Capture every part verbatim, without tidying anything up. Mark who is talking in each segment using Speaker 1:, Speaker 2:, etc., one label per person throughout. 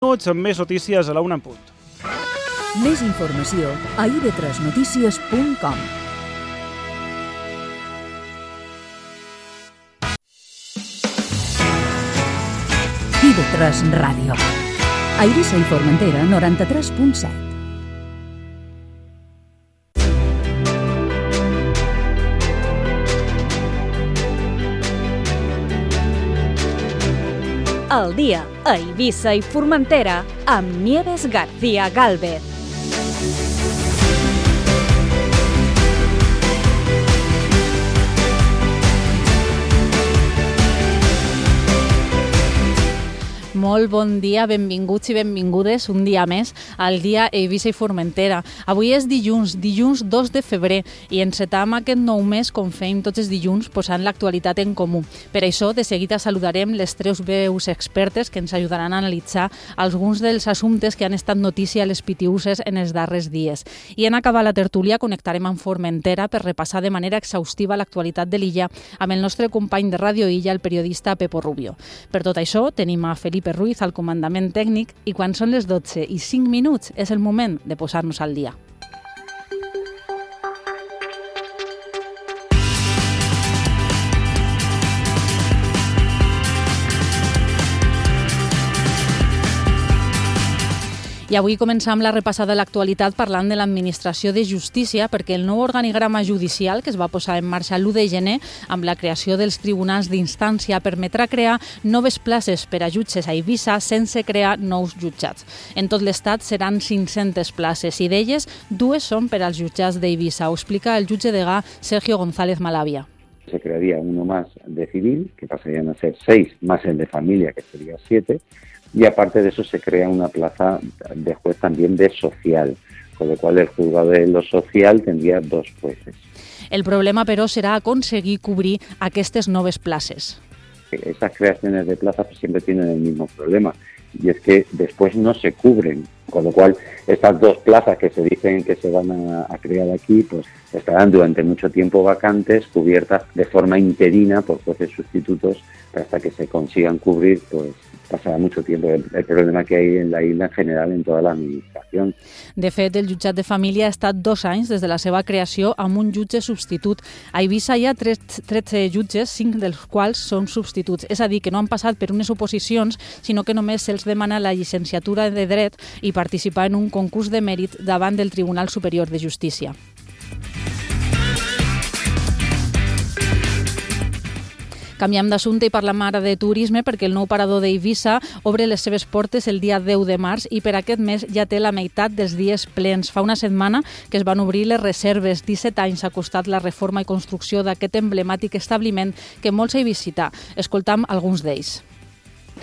Speaker 1: minuts amb més notícies a la una en punt.
Speaker 2: Més informació a i ve tres notícies punt com. i ve tres Ràdio. A Eivissa i Formentera, noranta-tres punt set.
Speaker 3: Al dia, a Eivissa i Formentera, amb Nieves García Gálvez.
Speaker 4: Molt bon dia, benvinguts i benvingudes un dia més al dia Eivissa i Formentera. Avui és dilluns, dilluns dos de febrer, i encetam aquest nou mes com fem tots els dilluns posant l'actualitat en comú. Per això, de seguida saludarem les tres veus expertes que ens ajudaran a analitzar alguns dels assumptes que han estat notícia a les pitiuses en els darrers dies. I en acabar la tertúlia connectarem amb Formentera per repassar de manera exhaustiva l'actualitat de l'illa amb el nostre company de Ràdio Illa, el periodista Pepo Rubio. Per tot això, tenim a Felipe Ruiz al comandament tècnic i quan són les dotze i cinc minuts és el moment de posar-nos al dia. I avui començam la repassada de l'actualitat parlant de l'Administració de Justícia, perquè el nou organigrama judicial que es va posar en marxa l'u de gener amb la creació dels tribunals d'instància permetrà crear noves places per a jutges a Eivissa sense crear nous jutjats. En tot l'estat seran cinc-centes places i d'elles dues són per als jutjats d'Eivissa. Ho explica el jutge degà Sergio González Malavia.
Speaker 5: Se crearía uno más de civil, que pasarían a ser seis, más el de familia, que sería siete. Y aparte de eso se crea una plaza de juez también de social, con lo cual el juzgado de lo social tendría dos jueces.
Speaker 4: El problema, però, serà aconseguir cobrir aquestes noves places.
Speaker 5: Estas creaciones de plazas siempre tienen el mismo problema, y es que después no se cubren, con lo cual estas dos plazas que se dicen que se van a, a crear aquí, pues estarán durante mucho tiempo vacantes, cubiertas de forma interina por jueces sustitutos, hasta que se consigan cubrir, pues pasarà mucho tiempo. El, el problema que hay en la isla en general, en toda la administración.
Speaker 4: De fet, el jutjat de família ha estat dos anys des de la seva creació amb un jutge substitut. A Eivissa hi ha tretze jutges, cinc dels quals són substituts. És a dir, que no han passat per unes oposicions, sinó que només se'ls demana la llicenciatura de Dret i participar en un concurs de mèrit davant del Tribunal Superior de Justícia. Canviem d'assumpte i parlem ara de turisme perquè el nou parador d'Eivissa obre les seves portes el dia deu de març i per aquest mes ja té la meitat dels dies plens. Fa una setmana que es van obrir les reserves. disset anys ha costat la reforma i construcció d'aquest emblemàtic establiment que molts hi visitar. Escoltam alguns d'ells.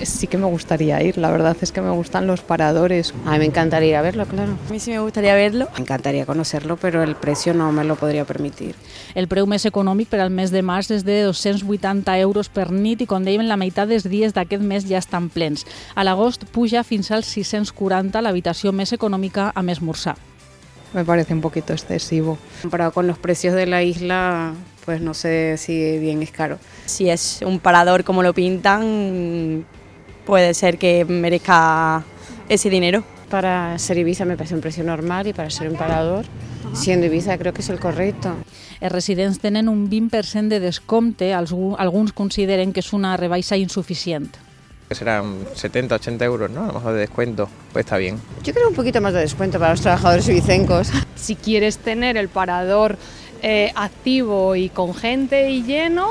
Speaker 6: Sí que me gustaría ir, la verdad es que me gustan los paradores.
Speaker 7: A mí me encantaría ir a verlo, claro.
Speaker 8: A mí sí me gustaría verlo.
Speaker 7: Me encantaría conocerlo, pero el precio no me lo podría permitir.
Speaker 4: El preu més econòmic per al mes de març és de dos-cents vuitanta euros per nit i, com dèiem, la meitat dels dies d'aquest mes ja estan plens. A l'agost puja fins als sis-cents quaranta l'habitació més econòmica amb esmorzar.
Speaker 6: Me parece un poquito excesivo.
Speaker 7: Comparado con los precios de la isla, pues no sé si bien es caro.
Speaker 8: Si es un parador como lo pintan, puede ser que merezca ese dinero.
Speaker 7: Para ser Eivissa me parece un precio normal y para ser un parador, siendo Eivissa creo que es el correcto.
Speaker 4: Els residents tenen un vint per cent de descompte, alguns consideren que és una rebaixa insuficient.
Speaker 9: Que serán setenta, ochenta euros, ¿no? A lo mejor de descuento, pues está bien.
Speaker 7: Yo creo un poquito más de descuento para los trabajadores ibicencos.
Speaker 6: Si quieres tener el parador eh, activo y con gente y lleno,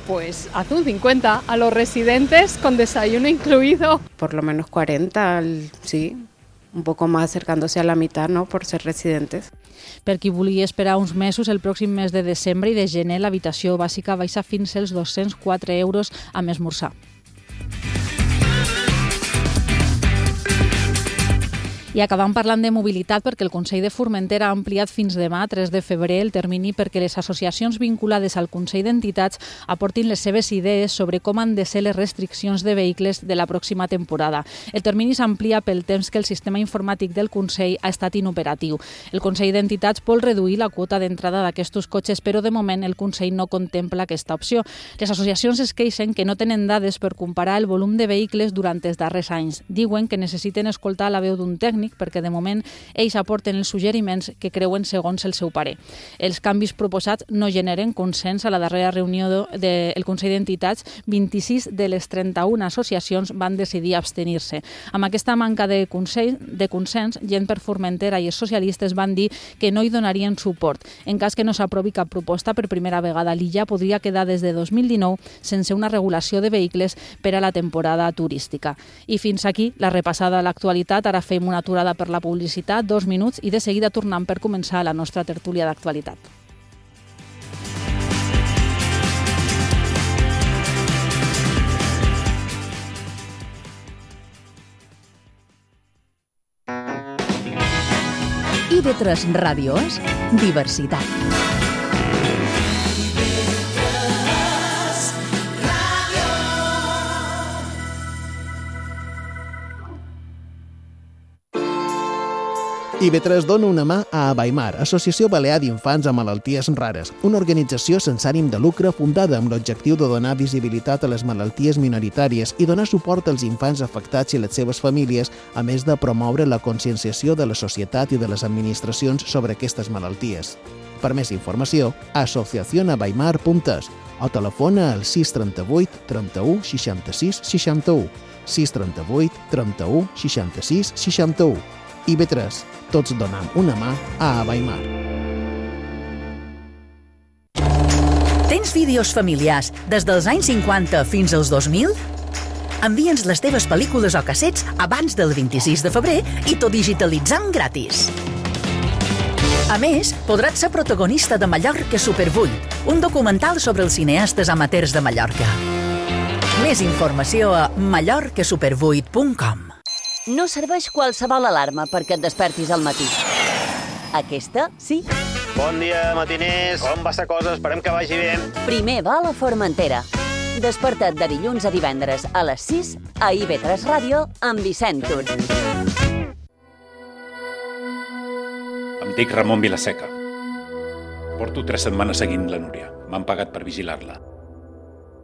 Speaker 6: pues haz un cincuenta a los residentes con desayuno incluido.
Speaker 7: Por lo menos cuarenta, sí, un poco más acercándose a la mitad, ¿no? Por ser residentes.
Speaker 4: Per qui vulgui esperar uns mesos, el pròxim mes de desembre i de gener l'habitació bàsica baixa fins als dos-cents quatre euros amb esmorzar. I acabam parlant de mobilitat perquè el Consell de Formentera ha ampliat fins demà, tres de febrer, el termini perquè les associacions vinculades al Consell d'Entitats aportin les seves idees sobre com han de ser les restriccions de vehicles de la pròxima temporada. El termini s'amplia pel temps que el sistema informàtic del Consell ha estat inoperatiu. El Consell d'Entitats vol reduir la quota d'entrada d'aquests cotxes, però de moment el Consell no contempla aquesta opció. Les associacions es queixen que no tenen dades per comparar el volum de vehicles durant els darrers anys. Diuen que necessiten escoltar la veu d'un tècnic perquè de moment ells aporten els suggeriments que creuen segons el seu parer. Els canvis proposats no generen consens. A la darrera reunió del Consell d'Entitats, vint-i-sis de les trenta-una associacions van decidir abstenir-se. Amb aquesta manca de consell, de consens, Gent per Formentera i els socialistes van dir que no hi donarien suport. En cas que no s'aprovi cap proposta, per primera vegada l'illa podria quedar des de dos mil dinou sense una regulació de vehicles per a la temporada turística. I fins aquí la repassada a l'actualitat. Ara fem una aturada per la publicitat, dos minuts, i de seguida tornem per començar la nostra tertúlia d'actualitat.
Speaker 2: I ve tres Ràdio és diversitat.
Speaker 10: I ve tres dona una mà a Abaimar, Associació Balear d'Infants amb Malalties Rares, una organització sense ànim de lucre fundada amb l'objectiu de donar visibilitat a les malalties minoritàries i donar suport als infants afectats i les seves famílies, a més de promoure la conscienciació de la societat i de les administracions sobre aquestes malalties. Per més informació, asociación abaimar punt es o telefona al sis trenta-vuit trenta-u seixanta-sis seixanta-u, sis trenta-vuit trenta-u seixanta-sis seixanta-u. I ve tres, tots donam una mà a Abaimar.
Speaker 2: Tens vídeos familiars des dels anys cinquanta fins als dos mil? Envia'ns les teves pel·lícules o cassets abans del vint-i-sis de febrer i tot digitalitzant gratis. A més, podràs ser protagonista de Mallorca Supervull, un documental sobre els cineastes amateurs de Mallorca. Més informació a mallorca supervuit punt com.
Speaker 11: No serveix qualsevol alarma perquè et despertis al matí. Aquesta, sí.
Speaker 12: Bon dia, matiners. Com va la cosa? Esperem que vagi bé.
Speaker 11: Primer va a la Formentera. Desperta't de dilluns a divendres a les sis a I ve tres Ràdio amb Vicent Tur.
Speaker 13: Em dic Ramon Vilaseca. Porto tres setmanes seguint la Núria. M'han pagat per vigilar-la.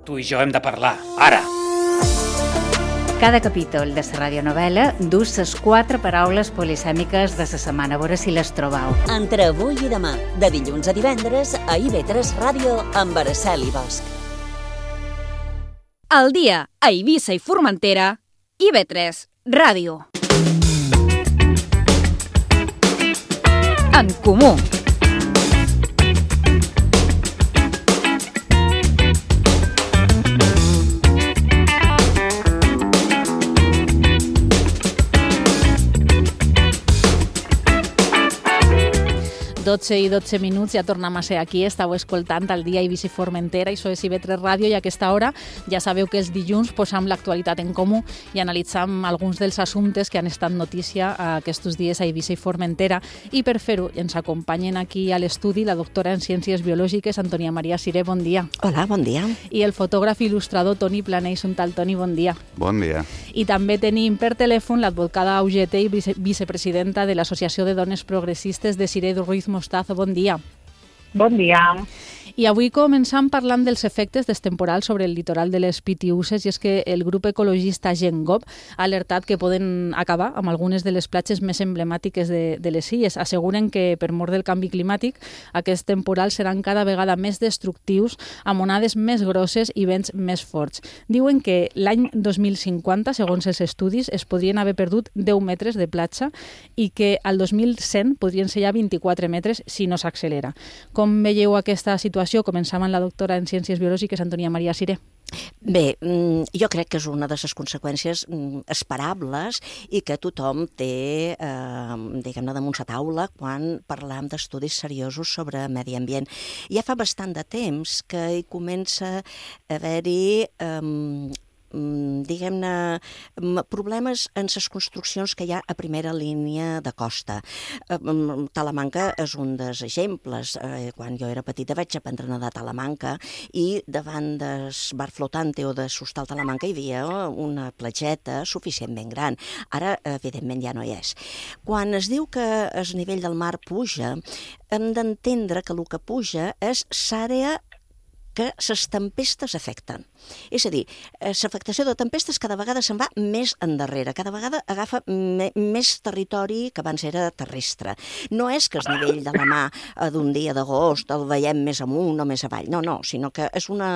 Speaker 13: Tu i jo hem de parlar, ara!
Speaker 14: Cada capítol de la radionovel·la dus les quatre paraules polisèmiques de la setmana, a veure si les trobeu.
Speaker 11: Entre avui i demà, de dilluns a divendres, a I ve tres Ràdio amb Araceli Bosch.
Speaker 3: Al dia, a Eivissa i Formentera, I ve tres Ràdio. En comú.
Speaker 4: dotze i dotze minuts, ja tornem a ser aquí. Estàu escoltant el dia Eivissa i Formentera, això és I ve tres Ràdio, i a aquesta hora ja sabeu que els dilluns posam l'actualitat en comú i analitzam alguns dels assumptes que han estat notícia aquests dies a Eivissa i Formentera, i per fer-ho ens acompanyen aquí a l'estudi la doctora en Ciències Biològiques, Antònia Maria Siré, bon dia.
Speaker 15: Hola, bon dia.
Speaker 4: I el fotògraf i il·lustrador Toni Planell. Un tal Toni, bon dia.
Speaker 16: Bon dia.
Speaker 4: I també tenim per telèfon l'advocada Augete i vice vicepresidenta de l'Associació de Dones Progressistes de Siré Ruiz Mostazo. Bon dia.
Speaker 17: Bon dia.
Speaker 4: I avui començam parlant dels efectes dels temporals sobre el litoral de les Pitiüses, i és que el grup ecologista Gengop ha alertat que poden acabar amb algunes de les platges més emblemàtiques de, de les illes. Asseguren que per mor del canvi climàtic aquests temporals seran cada vegada més destructius, amb onades més grosses i vents més forts. Diuen que l'any dos mil cinquanta, segons els estudis, es podrien haver perdut deu metres de platja i que al dos mil cent podrien ser ja vint-i-quatre metres si no s'accelera. Com veieu aquesta situació? Començam amb la doctora en Ciències Biològiques, Antònia Maria Siré.
Speaker 15: Bé, jo crec que és una de les conseqüències esperables i que tothom té, eh, diguem-ne, damunt la taula quan parlam d'estudis seriosos sobre medi ambient. Ja fa bastant de temps que hi comença a haver-hi eh, diguem-ne, problemes en les construccions que hi ha a primera línia de costa. Talamanca és un dels exemples. Quan jo era petita vaig aprendre a nedar a Talamanca i davant del bar flotante o de l'hostal Talamanca hi havia una platgeta suficientment gran. Ara, evidentment, ja no hi és. Quan es diu que el nivell del mar puja, hem d'entendre que el que puja és l'àrea que les tempestes afecten. És a dir, l'afectació de tempestes cada vegada se'n va més endarrere, cada vegada agafa me més territori que abans era terrestre. No és que el nivell de la mà d'un dia d'agost el veiem més amunt o més avall, no, no, sinó que és una,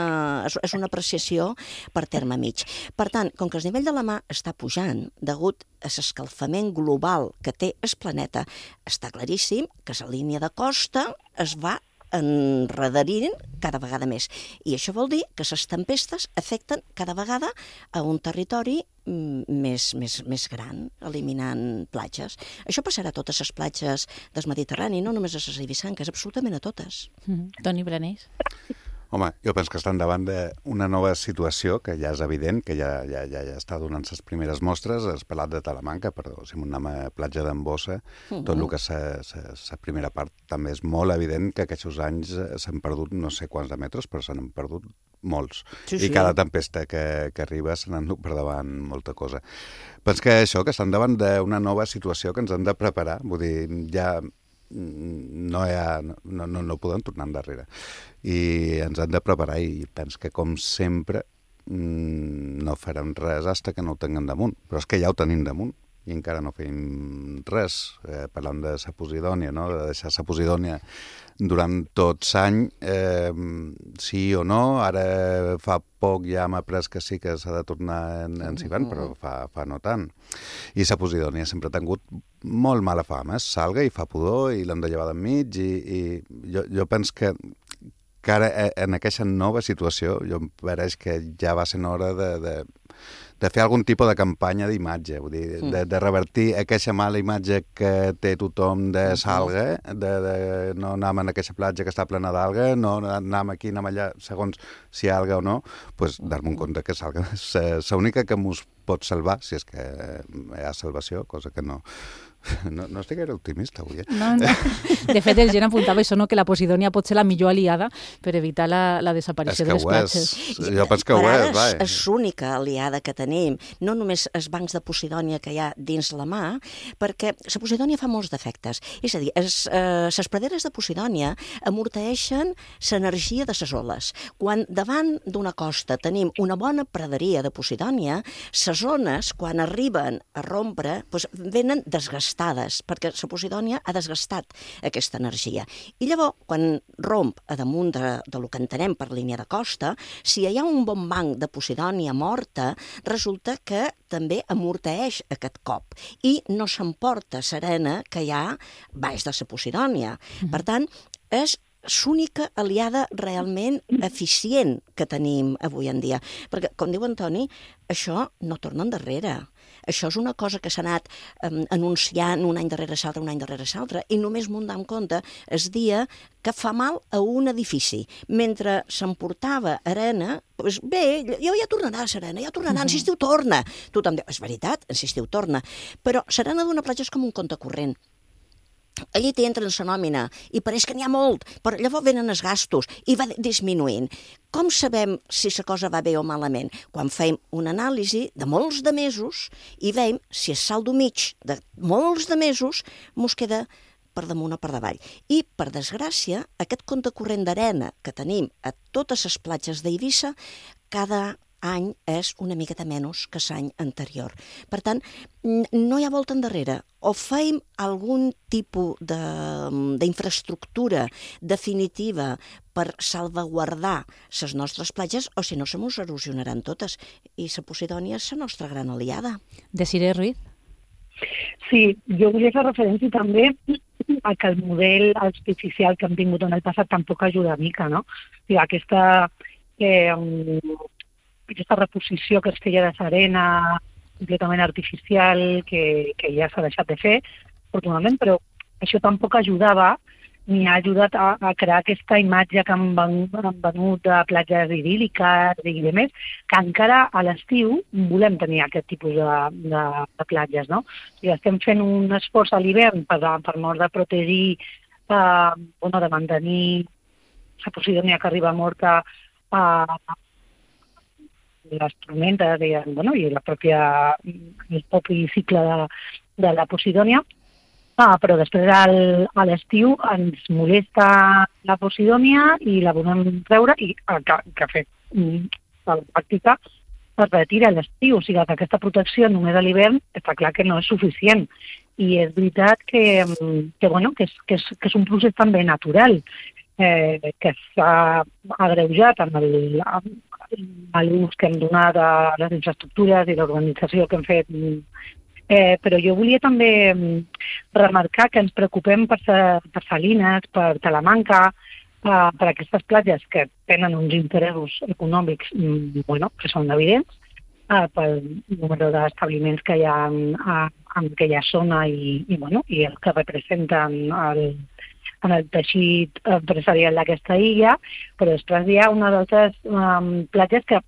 Speaker 15: és una apreciació per terme mig. Per tant, com que el nivell de la mà està pujant degut a l'escalfament global que té el planeta, està claríssim que la línia de costa es va enredarint cada vegada més. I això vol dir que les tempestes afecten cada vegada a un territori més, més, més gran, eliminant platges. Això passarà a totes les platges del Mediterrani, no només a les eibissanques, absolutament a totes.
Speaker 4: Mm-hmm. Toni Branés.
Speaker 16: Home, jo penso que estan davant d'una nova situació que ja és evident, que ja, ja, ja, ja està donant les primeres mostres. Has parlat de Talamanca, però si anem a platja d'Embossa, uh-huh. tot el que és la primera part també és molt evident que aquests anys s'han perdut no sé quants de metres, però s'han perdut molts. Sí, sí. I cada tempesta que, que arriba se n'han dut per davant molta cosa. Penso que això, que estan davant d'una nova situació que ens hem de preparar, vull dir, ja no, hi ha, no, no, no podem tornar endarrere. I ens hem de preparar i penso que, com sempre, no farem res fins que no ho tinguem damunt. Però és que ja ho tenim damunt i encara no fem res. Eh, parlant de la Posidònia, no? De deixar la Posidònia durant tot l'any, eh, sí o no. Ara fa poc ja m'ha après que sí que s'ha de tornar en, en Sivan, però fa, fa no tant. I la Posidònia sempre ha tingut molt mala fama. Salga i fa pudor i l'hem de llevar d'enmig i, i jo, jo penso que que ara, en aquesta nova situació, jo em pareix que ja va ser hora de, de, de fer algun tipus de campanya d'imatge, vull dir, de, de revertir aquesta mala imatge que té tothom de s'alga, de, de no anar a aquesta platja que està plena d'alga, no anar aquí, anar allà, segons si hi ha alga o no, doncs dar-me un compte que s'alga és l'única que mos pot salvar, si és que hi ha salvació, cosa que no... No, no estic gaire optimista avui, eh?
Speaker 4: No, no. De fet, el Gen apuntava això, no? Que la Posidònia pot ser la millor aliada per evitar la, la desaparició de les platges.
Speaker 16: Jo penso que ho és, va.
Speaker 15: És l'única aliada que tenim, no només els bancs de Posidònia que hi ha dins la mà, perquè la Posidònia fa molts defectes. És a dir, les eh, praderes de Posidònia amorteixen l'energia de les oles. Quan davant d'una costa tenim una bona praderia de Posidònia, les ones, quan arriben a rompre, doncs, venen desgastades, perquè la Posidònia ha desgastat aquesta energia. I llavors, quan romp a damunt de, de lo que entenem per línia de costa, si hi ha un bon banc de Posidònia morta, resulta que també amorteix aquest cop i no s'emporta serena que hi ha baix de la Posidònia. Mm-hmm. Per tant, és l'única aliada realment eficient que tenim avui en dia. Perquè, com diu Antoni, això no torna endarrere. Això és una cosa que s'ha anat um, anunciant un any darrere l'altre, un any darrere l'altre, i només m'ho en compte el dia que fa mal a un edifici. Mentre s'emportava arena, doncs bé, ja, ja tornarà a serena, ja tornarà, uh-huh. en l'estiu torna. Tothom diu, és veritat, en l'estiu torna. Però serena d'una platja és com un compte corrent. Allí t'entra en la nòmina i pareix que n'hi ha molt, però llavors venen els gastos i va disminuint. Com sabem si la cosa va bé o malament? Quan fem una anàlisi de molts de mesos i veiem si el saldo mig de molts de mesos mos queda per damunt o per davall. I, per desgràcia, aquest compte corrent d'arena que tenim a totes les platges d'Eivissa, cada any és una miqueta menys que l'any anterior. Per tant, no hi ha volta endarrere. O fem algun tipus d'infraestructura definitiva per salvaguardar les nostres platges, o si no, se mos erosionaran totes. I la Posidònia és la nostra gran aliada.
Speaker 4: Desiree Ruiz?
Speaker 17: Sí, jo volia fer referència també a que el model artificial que hem tingut en el passat tampoc ajuda mica, no? O sigui, aquesta... Eh, aquesta reposició que es feia de l'arena completament artificial que, que ja s'ha deixat de fer, afortunadament, però això tampoc ajudava ni ha ajudat a, a crear aquesta imatge que han venut, han venut de platges idíl·liques i de més, que encara a l'estiu volem tenir aquest tipus de, de, de platges, no? I estem fent un esforç a l'hivern per, per mort de protegir, eh, bueno, de mantenir la Posidònia que arriba morta a les tormentes i, bueno, i la pròpia, el propi cicle de, de la Posidònia. Ah, però després al, a l'estiu ens molesta la Posidònia i la volem treure i el que, que ha fet a la pràctica es retira a l'estiu. O sigui que aquesta protecció només a l'hivern està clar que no és suficient. I és veritat que, que, bueno, que, és, que, és, que és un procés també natural, eh, que s'ha agreujat amb el, amb l'ús que hem donat a les infraestructures i l'organització que hem fet. Eh, però jo volia també remarcar que ens preocupem per, per Salines, per Talamanca, eh, per aquestes platges que tenen uns interessos econòmics bueno, que són evidents, eh, pel número d'establiments que hi ha en, en aquella zona i, i, bueno, i el que representen el, en el teixit empresarial d'aquesta illa, però després hi ha una d'altres um, platges que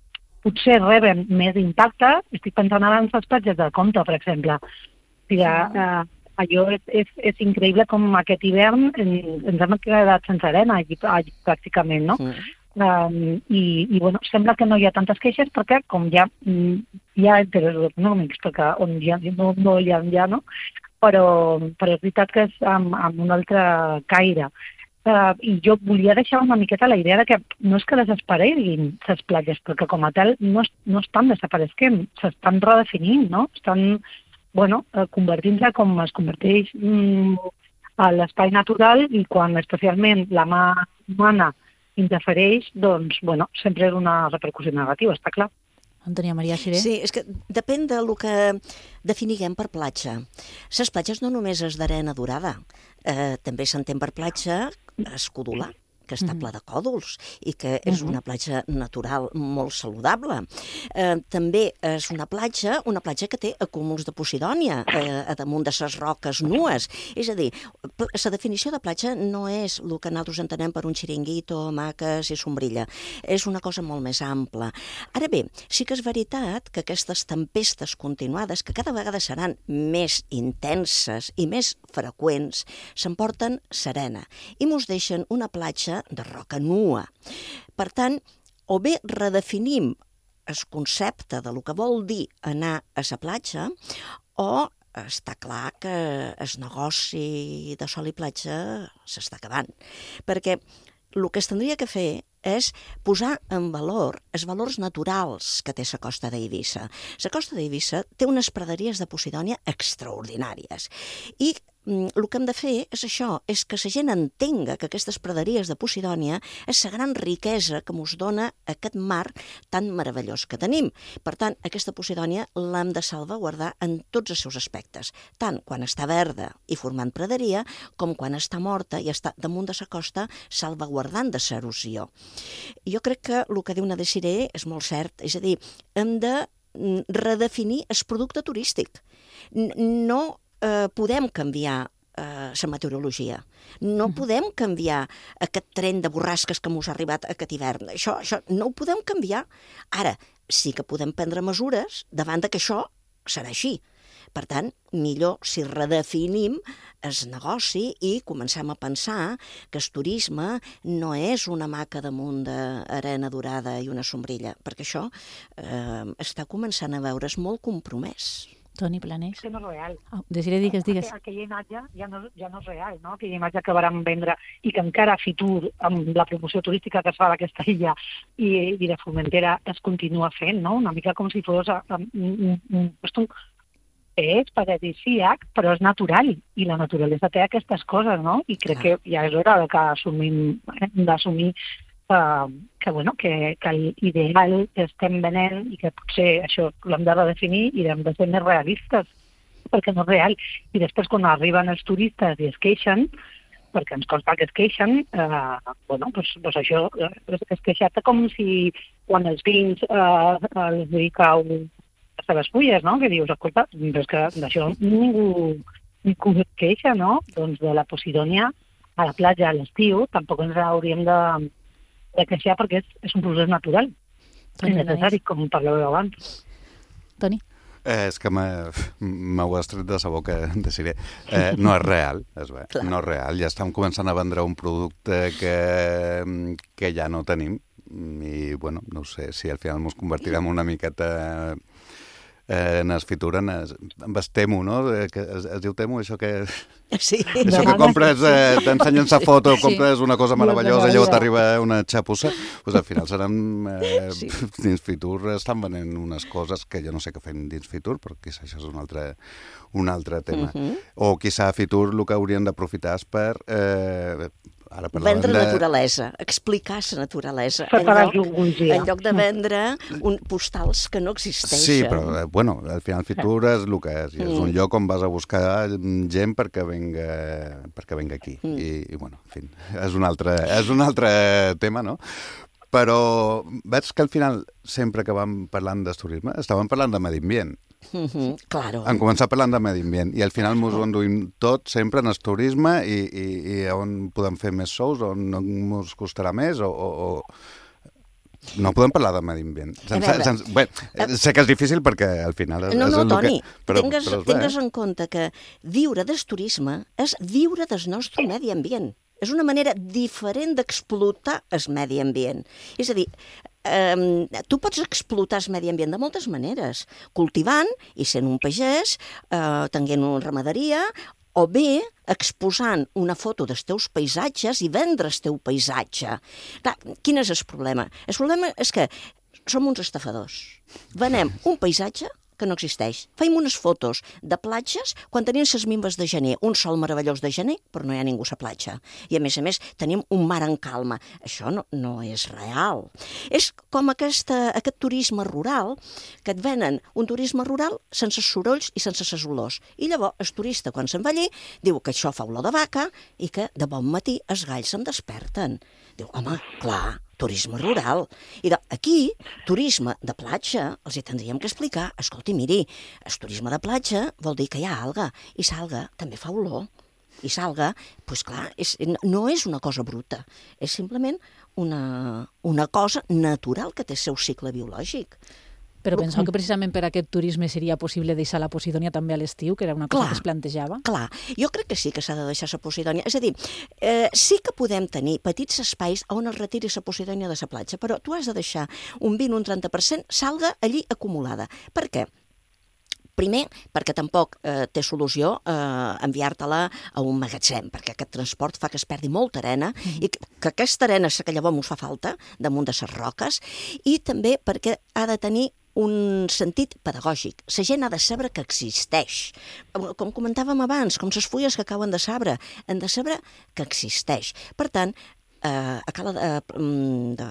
Speaker 17: potser reben més impacte. Estic pensant ara en les platges de Comte, per exemple. O sigui, eh, allò és, és, és increïble com aquest hivern ens hem quedat sense arena allí, allí pràcticament, no? Sí. Um, i, i bueno, sembla que no hi ha tantes queixes perquè com hi ha, hi ha interessos econòmics, perquè on hi ha, no, no hi ha, ja, no? Però, però és veritat que és amb, amb un altre caire. Uh, I jo volia deixar una miqueta la idea de que no és que desapareguin les platges, perquè com a tal no, no estan desapareixent, s'estan redefinint, no? Estan, bueno, uh, convertint-se com es converteix mm, a l'espai natural i quan especialment la mà humana interfereix, doncs, bueno, sempre és una repercussió negativa, està clar.
Speaker 4: Antònia Maria Xiré.
Speaker 15: Sí, és que depèn del que definiguem per platja. Les platges no només és d'arena dorada, eh, també s'entén per platja escodular, que està ple de còdols i que és una platja natural molt saludable. Eh, també és una platja, una platja que té acúmuls de Posidònia eh, a damunt de les roques nues. És a dir, la definició de platja no és el que nosaltres entenem per un xiringuito, hamaques i sombrilla. És una cosa molt més ampla. Ara bé, sí que és veritat que aquestes tempestes continuades, que cada vegada seran més intenses i més freqüents, s'emporten serena i mos deixen una platja de roca nua. Per tant, o bé redefinim el concepte de lo que vol dir anar a la platja, o està clar que el negoci de sol i platja s'està acabant. Perquè el que es tindria que fer és posar en valor els valors naturals que té la costa d'Eivissa. La costa d'Eivissa té unes praderies de Posidònia extraordinàries i el que hem de fer és això, és que la gent entenga que aquestes praderies de Posidònia és la gran riquesa que ens dona aquest mar tan meravellós que tenim. Per tant, aquesta Posidònia l'hem de salvaguardar en tots els seus aspectes, tant quan està verda i formant praderia, com quan està morta i està damunt de la costa salvaguardant de l'erosió. Jo crec que el que diu Nadia Xiré és molt cert, és a dir, hem de redefinir el producte turístic. No Eh, podem canviar eh, la meteorologia. No podem canviar aquest tren de borrasques que ens ha arribat aquest hivern. Això, això no ho podem canviar. Ara, sí que podem prendre mesures davant de que això serà així. Per tant, millor si redefinim el negoci i comencem a pensar que el turisme no és una hamaca damunt d'arena dorada i una sombrilla, perquè això eh, està començant a veure's molt compromès.
Speaker 4: Toni Planés.
Speaker 17: És que no és real.
Speaker 4: Oh, Desiré, digues, digues.
Speaker 17: Aquella imatge ja no, ja no és real, no? Aquella imatge que vàrem vendre i que encara a Fitur, amb la promoció turística que es fa d'aquesta illa i, i de Formentera, es continua fent, no? Una mica com si fos un, un, un, un és paradisíac, però és natural, i la naturalesa té aquestes coses, no? I crec que ja és hora que assumim, hem d'assumir Uh, que, bueno, que, que l'ideal que estem venent i que potser això l'hem de redefinir i hem de ser més realistes, perquè no és real. I després, quan arriben els turistes i es queixen, perquè ens consta que es queixen, uh, bueno, doncs, doncs això, es, es queixar-te com si quan els vins uh, els dedicau les seves fulles, no? Que dius, escolta, però és que d'això ningú, ningú es queixa, no? Doncs de la Posidònia a la platja a l'estiu, tampoc ens hauríem de, de queixar perquè és, és un procés natural. És necessari, com parlàveu abans.
Speaker 4: Toni?
Speaker 16: Eh, és que m'ho has tret de sa boca, decidiré. Eh, no és real, és bé, no és real. Ja estem començant a vendre un producte que, que ja no tenim i, bueno, no sé, si al final ens convertirem una miqueta eh, en es fitura, en es, en es temo, no? Que es, es diu temo, això que...
Speaker 15: Sí.
Speaker 16: Això que compres, eh, t'ensenyen sa foto, sí. compres una cosa meravellosa i llavors t'arriba una xapussa, doncs al final seran... Eh, sí. Dins Fitur estan venent unes coses que jo no sé què fem dins Fitur, però quizà això és un altre, un altre tema. Uh -huh. O quizà a Fitur el que haurien d'aprofitar és per... Eh, Ara
Speaker 15: vendre de... naturalesa, explicar la naturalesa, en lloc, en lloc de vendre un, postals que no existeixen.
Speaker 16: Sí, però, bueno, al final Fitur és el que és, i és un lloc on vas a buscar gent perquè venga, perquè venga aquí. Mm. I, I, bueno, en fi, és un altre, és un altre tema, no? Però veig que al final, sempre que vam parlant d'turisme, estàvem parlant de medi ambient.
Speaker 15: Uh-huh, claro.
Speaker 16: Han començat parlant de medi ambient i al final ens ho enduïm tot sempre en el turisme i, i, i on podem fer més sous, on no ens costarà més o, o, o... No podem parlar de medi ambient. Sense, sense... Bé, sé que és difícil perquè al final és,
Speaker 15: no, no,
Speaker 16: és el
Speaker 15: Toni,
Speaker 16: que... Però,
Speaker 15: tingues,
Speaker 16: però
Speaker 15: tingues en compte que viure del turisme és viure del nostre medi ambient. És una manera diferent d'explotar el medi ambient. És a dir, eh, tu pots explotar el medi ambient de moltes maneres, cultivant i sent un pagès, eh, tenint una ramaderia, o bé exposant una foto dels teus paisatges i vendre el teu paisatge. Clar, quin és el problema? El problema és que som uns estafadors. Venem un paisatge que no existeix. Feim unes fotos de platges quan tenim les mimbes de gener, un sol meravellós de gener, però no hi ha ningú a la platja. I a més a més tenim un mar en calma. Això no, no és real. És com aquesta, aquest turisme rural, que et venen un turisme rural sense sorolls i sense ses olors. I llavors el turista, quan se'n va allí, diu que això fa olor de vaca i que de bon matí els galls se'n desperten. Diu, home, clar, turisme rural. I aquí, turisme de platja, els hi tindríem que explicar, escolti, miri, el turisme de platja vol dir que hi ha alga, i l'alga també fa olor. I l'alga, doncs clar, és, no és una cosa bruta, és simplement una, una cosa natural que té el seu cicle biològic.
Speaker 4: Però penseu que precisament per aquest turisme seria possible deixar la Posidònia també a l'estiu, que era una cosa
Speaker 15: clar,
Speaker 4: que es plantejava?
Speaker 15: Clar, jo crec que sí que s'ha de deixar la Posidònia. És a dir, eh, sí que podem tenir petits espais on es retiri la Posidònia de la platja, però tu has de deixar un vint o un trenta per cent salga allí acumulada. Per què? Primer, perquè tampoc eh, té solució eh, enviar-te-la a un magatzem, perquè aquest transport fa que es perdi molta arena mm. i que, que aquesta arena, que llavors ens fa falta, damunt de les roques, i també perquè ha de tenir un sentit pedagògic. La gent ha de saber que existeix. Com comentàvem abans, com les fulles que cauen de l'arbre, han de saber que existeix. Per tant, eh, a Cala de, de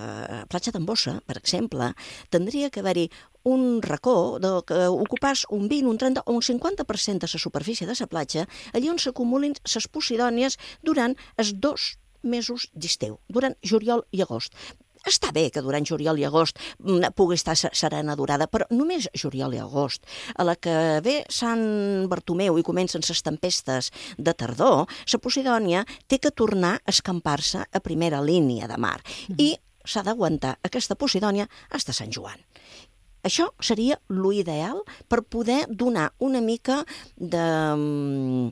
Speaker 15: Platja d'en Bossa, per exemple, tindria que haver-hi un racó de, que ocupàs un vint, un trenta o un cinquanta per cent de la superfície de la platja, allí on s'acumulin les posidònies durant els dos mesos d'estiu, durant juliol i agost. Està bé que durant juliol i agost pugui estar serena durada, però només juliol i agost. A la que ve Sant Bartomeu i comencen les tempestes de tardor, la Posidònia té que tornar a escampar-se a primera línia de mar i s'ha d'aguantar aquesta Posidònia fins a Sant Joan. Això seria l'ideal per poder donar una mica de...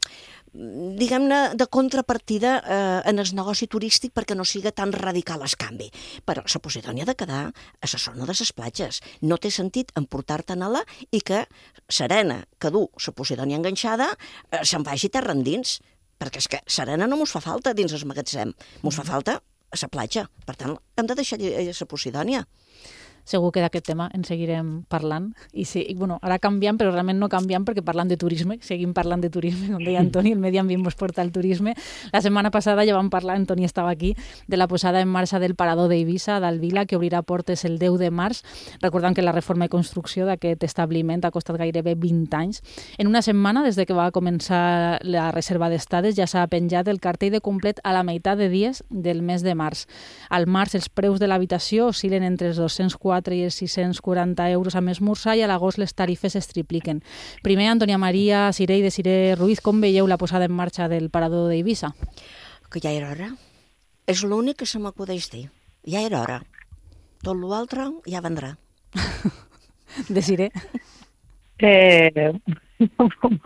Speaker 15: diguem-ne, de contrapartida eh, en el negoci turístic perquè no siga tan radical el canvi. Però la Posidònia ha de quedar a la zona de les platges. No té sentit emportar-te'n-la i que serena, que du la Posidònia enganxada, eh, se'n vagi terra endins. Perquè és que serena no mos fa falta dins el magatzem, mos fa falta a la platja. Per tant, hem de deixar la Posidònia.
Speaker 4: Segur que d'aquest tema en seguirem parlant. I, sí, i bueno, ara canviant, però realment no canviant perquè parlant de turisme, seguim parlant de turisme, com deia Antoni, el medi ambient ens porta al turisme. La setmana passada ja vam parlar, Antoni estava aquí, de la posada en marxa del parador d'Eivissa, d'Alvila, que obrirà portes el deu de març, recordant que la reforma i construcció d'aquest establiment ha costat gairebé vint anys. En una setmana, des de que va començar la reserva d'estades, ja s'ha penjat el cartell de complet a la meitat de dies del mes de març. Al març els preus de l'habitació oscil·len entre els dos-cents quatre i els sis-cents quaranta euros a esmorzar i a l'agost les tarifes es tripliquen. Primer, Antònia Maria Ciré i de Ciré Ruiz, com veieu la posada en marxa del parador d'Eivissa?
Speaker 15: que ja era hora. És l'únic que se m'acudeix dir. Ja era hora. Tot l'altre ja vendrà.
Speaker 4: Desiré.
Speaker 17: Eh,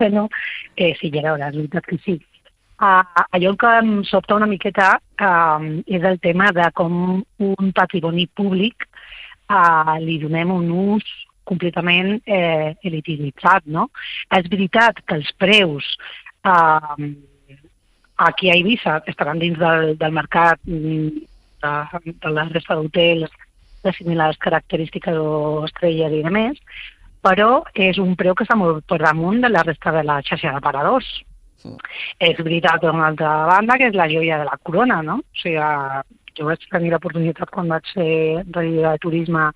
Speaker 17: bueno, eh, sí, ja era hora, és veritat que sí. Uh, allò que em sobta una miqueta uh, és el tema de com un patrimoni públic uh, li donem un ús completament eh, elititzat, no? És veritat que els preus uh, aquí a Eivissa estaran dins del, del mercat de, de la resta d'hotels de similars característiques o estrelles i demés, però és un preu que està molt per damunt de la resta de la xarxa d'aparadors. Mm. És veritat, per una altra banda, que és la joia de la corona, no? O sigui, jo vaig tenir l'oportunitat quan vaig ser regidora de turisme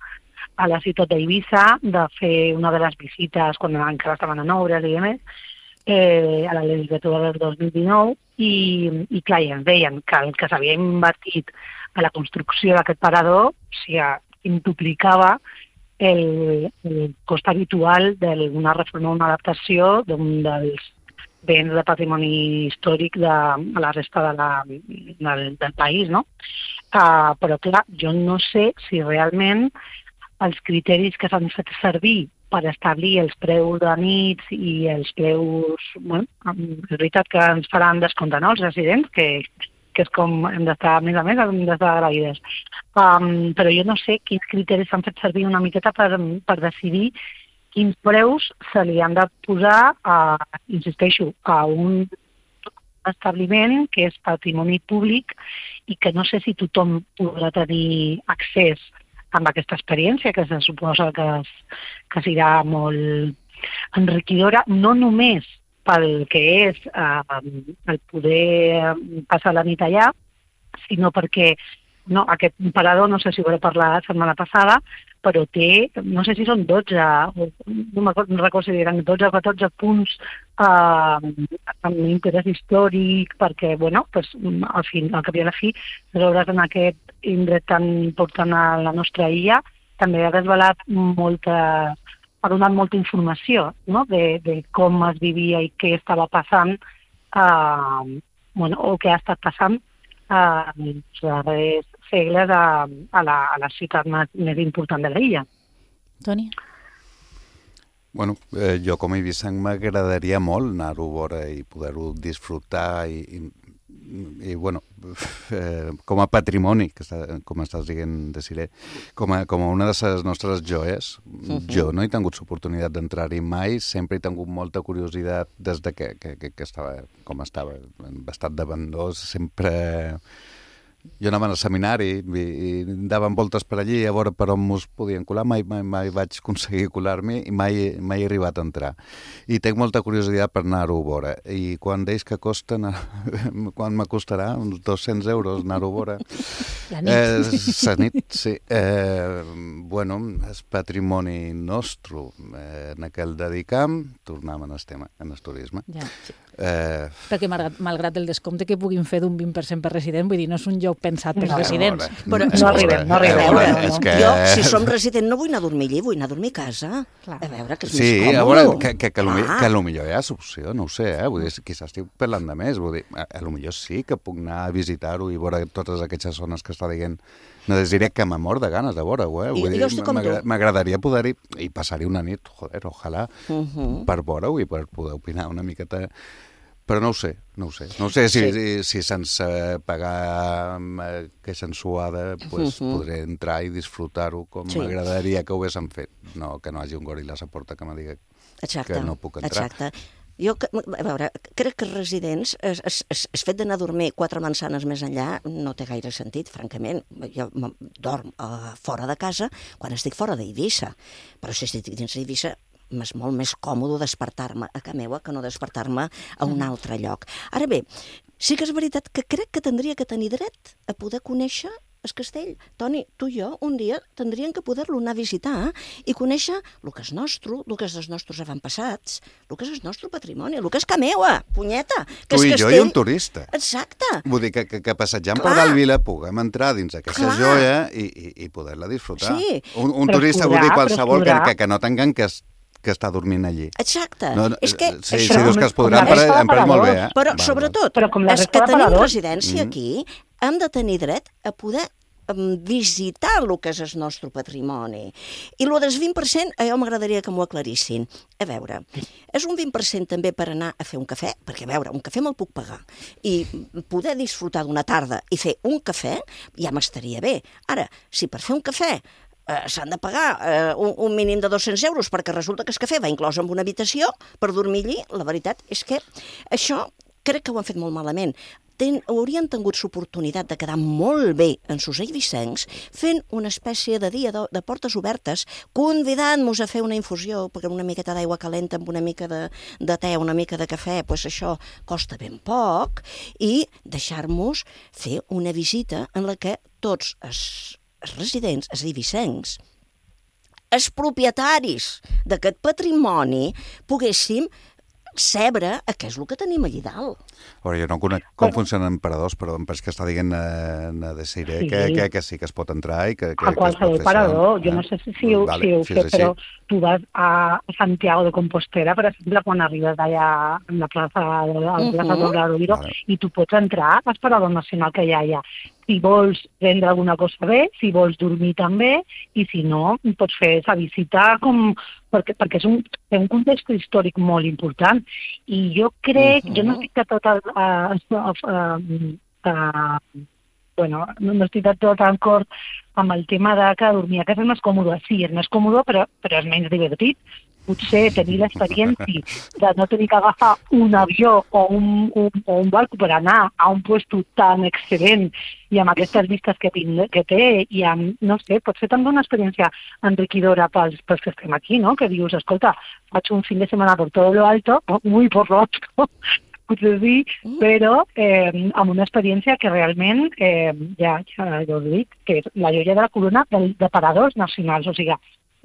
Speaker 17: a la ciutat d'Eivissa de fer una de les visites quan encara estaven en obres i demés, eh, a la legislatura del dos mil dinou, i, i clar, ja ens deien que el que s'havia invertit a la construcció d'aquest parador, o sigui, intuplicava el, el cost habitual d'una reforma o una adaptació d'un dels béns de patrimoni històric de, de la resta de la, del, del país, no? Uh, però clar, jo no sé si realment els criteris que s'han fet servir per establir els preus de nits i els preus... Bueno, és veritat que ens faran descompte, no?, els residents, que, que és com hem d'estar, a més a més, hem d'estar agraïdes. Um, però jo no sé quins criteris s'han fet servir una miqueta per, per decidir quins preus se li han de posar, a, insisteixo, a un establiment que és patrimoni públic i que no sé si tothom podrà tenir accés amb aquesta experiència, que se suposa que, que serà molt enriquidora, no només pel que és eh, el poder passar la nit allà, sinó perquè no, aquest parador, no sé si ho he parlat la setmana passada, però té, no sé si són dotze, no, no recordo si eren dotze o catorze punts eh, amb interès històric, perquè, bueno, pues, al, fin, al cap i a la fi, veure en aquest indret tan important a la nostra illa, també ha desvelat molta, ha donat molta informació, no?, de, de com es vivia i què estava passant, eh, bueno, o què ha estat passant eh, els darrers segles a, a, la, a la ciutat més, més important de l'illa.
Speaker 4: Toni?
Speaker 16: Bueno, eh, jo com a eivissenc m'agradaria molt anar-ho a veure i poder-ho disfrutar i, i, i bueno, eh, com a patrimoni, que està, com estàs dient, Desiré, com a, com a una de les nostres joies. Uh-huh. Jo no he tingut l'oportunitat d'entrar-hi mai, sempre he tingut molta curiositat des de que, que, que, que estava com estava, en estat d'abandó, sempre... Jo anava al seminari i, i daven voltes per allí a veure per on mos podien colar, mai, mai, mai vaig aconseguir colar-m'hi i mai, mai he arribat a entrar. I tinc molta curiositat per anar-ho a veure. I quan deies que costa, quan m'acostarà? Uns dos-cents euros anar-ho a veure.
Speaker 4: La nit.
Speaker 16: Eh, la nit, sí. Eh, bueno, és patrimoni nostre. Eh, en aquell dedicam, tornem en el tema, en el turisme.
Speaker 4: Ja, sí.
Speaker 16: Eh...
Speaker 4: Perquè malgrat, malgrat el descompte que puguin fer d'un vint per cent per resident, vull dir, no és un lloc pensat pels
Speaker 15: no,
Speaker 4: residents.
Speaker 15: Però,
Speaker 17: no arribem, no arribem.
Speaker 15: A veure,
Speaker 16: no. Que...
Speaker 15: Jo, si som resident, no vull anar a dormir allí, vull anar a dormir a casa. Clar. A veure, que és
Speaker 16: sí,
Speaker 15: més còmode.
Speaker 16: A veure, que, que, que, ah. que potser hi ha opció, no ho sé, eh? Vull dir, quizás estic parlant de més, vull dir, a, a potser sí que puc anar a visitar-ho i veure totes aquestes zones que està dient. No diré que m'amor de ganes de veure-ho, eh? Vull dir, m'agradaria poder-hi i passar-hi una nit, joder, ojalà, uh-huh. per veure-ho i per poder opinar una miqueta. Però no ho sé, no ho sé. No ho sé si, sí. si, si sense pagar aquesta ensuada pues, uh-huh. podré entrar i disfrutar-ho com sí. m'agradaria que ho haguéssim fet. No, que no hagi un goril·la a la porta que me digui exacte, que no puc entrar.
Speaker 15: Exacte. Jo, a veure, crec que els residents, es, es, es, es fet d'anar a dormir quatre mansanes més enllà no té gaire sentit, francament. Jo dorm uh, fora de casa quan estic fora d'Eivissa, però si estic dins d'Eivissa és molt més còmode despertar-me a casa meva que no despertar-me a un altre lloc. Ara bé, sí que és veritat que crec que tindria que tenir dret a poder conèixer el castell. Toni, tu i jo un dia tindríem que poder-lo anar a visitar i conèixer el que és nostre, el que és dels nostres avantpassats, el que és el nostre patrimoni, el que és casa meva, punyeta. Que
Speaker 16: tu i
Speaker 15: castell...
Speaker 16: jo i un turista.
Speaker 15: Exacte.
Speaker 16: Vull dir que, que, que passejant per dalt Vila puguem entrar dins aquesta Clar. joia i, i, i poder-la disfrutar.
Speaker 15: Sí.
Speaker 16: Un, un turista podrà, vull dir qualsevol que, que, que no tinguem que que està dormint allí.
Speaker 15: Exacte.
Speaker 16: No, no,
Speaker 15: és que
Speaker 16: sí,
Speaker 15: això...
Speaker 16: sí, dius que es podrà, em pareix, em pareix molt bé. Eh?
Speaker 15: Però,
Speaker 16: val,
Speaker 15: sobretot,
Speaker 17: però com la
Speaker 15: els
Speaker 17: resta
Speaker 15: que
Speaker 17: de
Speaker 15: tenim
Speaker 17: paradors.
Speaker 15: residència
Speaker 16: Mm.
Speaker 15: aquí hem de tenir dret a poder um, visitar el que és el nostre patrimoni. I el del vint per cent, a jo m'agradaria que m'ho aclarissin. A veure, és un vint per cent també per anar a fer un cafè? Perquè, a veure, un cafè me'l puc pagar. I poder disfrutar d'una tarda i fer un cafè ja m'estaria bé. Ara, si per fer un cafè eh, s'han de pagar eh, un, un mínim de dos-cents euros perquè resulta que el cafè va inclòs en una habitació per dormir allí, la veritat és que això crec que ho han fet molt malament. Ten, haurien tingut l'oportunitat de quedar molt bé en sos eivissencs fent una espècie de dia de, de portes obertes, convidant-nos a fer una infusió, perquè una miqueta d'aigua calenta amb una mica de, de te, una mica de cafè, doncs això costa ben poc, i deixar-nos fer una visita en la que tots els, els residents, els eivissencs, els propietaris d'aquest patrimoni, poguéssim saber què és el que tenim allà dalt.
Speaker 16: Veure, jo no conec com funcionen paradors, però em penso que està dient a, a Desiree sí. que, que, que sí que es pot entrar i que, que,
Speaker 17: a qualsevol parador. Jo no sé si, si, ho, vale, si ho si sé, però tu vas a Santiago de Compostela, per exemple, quan arribes allà a la plaça de la plaça uh -huh. d'Obradoiro, vale. I tu pots entrar al parador nacional que hi ha allà. Si vols prendre alguna cosa bé, si vols dormir també, i si no, pots fer esa visita com... perquè, perquè és un, és un context històric molt important. I jo crec, uh -huh. jo no estic de tot... Uh, uh, uh, uh, bueno, no estic de tot d'acord amb el tema de que dormir a casa és més còmode. Sí, és més còmode, però, però és menys divertit. Potser tenir l'experiència de no tenir que agafar un avió o un, un, o un barco per anar a un lloc tan excel·lent i amb aquestes vistes que, que té, i amb, no sé, pot ser també una experiència enriquidora pels, pels que estem aquí, no? Que dius, escolta, faig un fin de setmana por todo lo alto, muy por lo alto, potser sí, però eh, amb una experiència que realment, eh, ja, ja, ja ho dic, que és la joia de la corona de, de paradors nacionals, o sigui,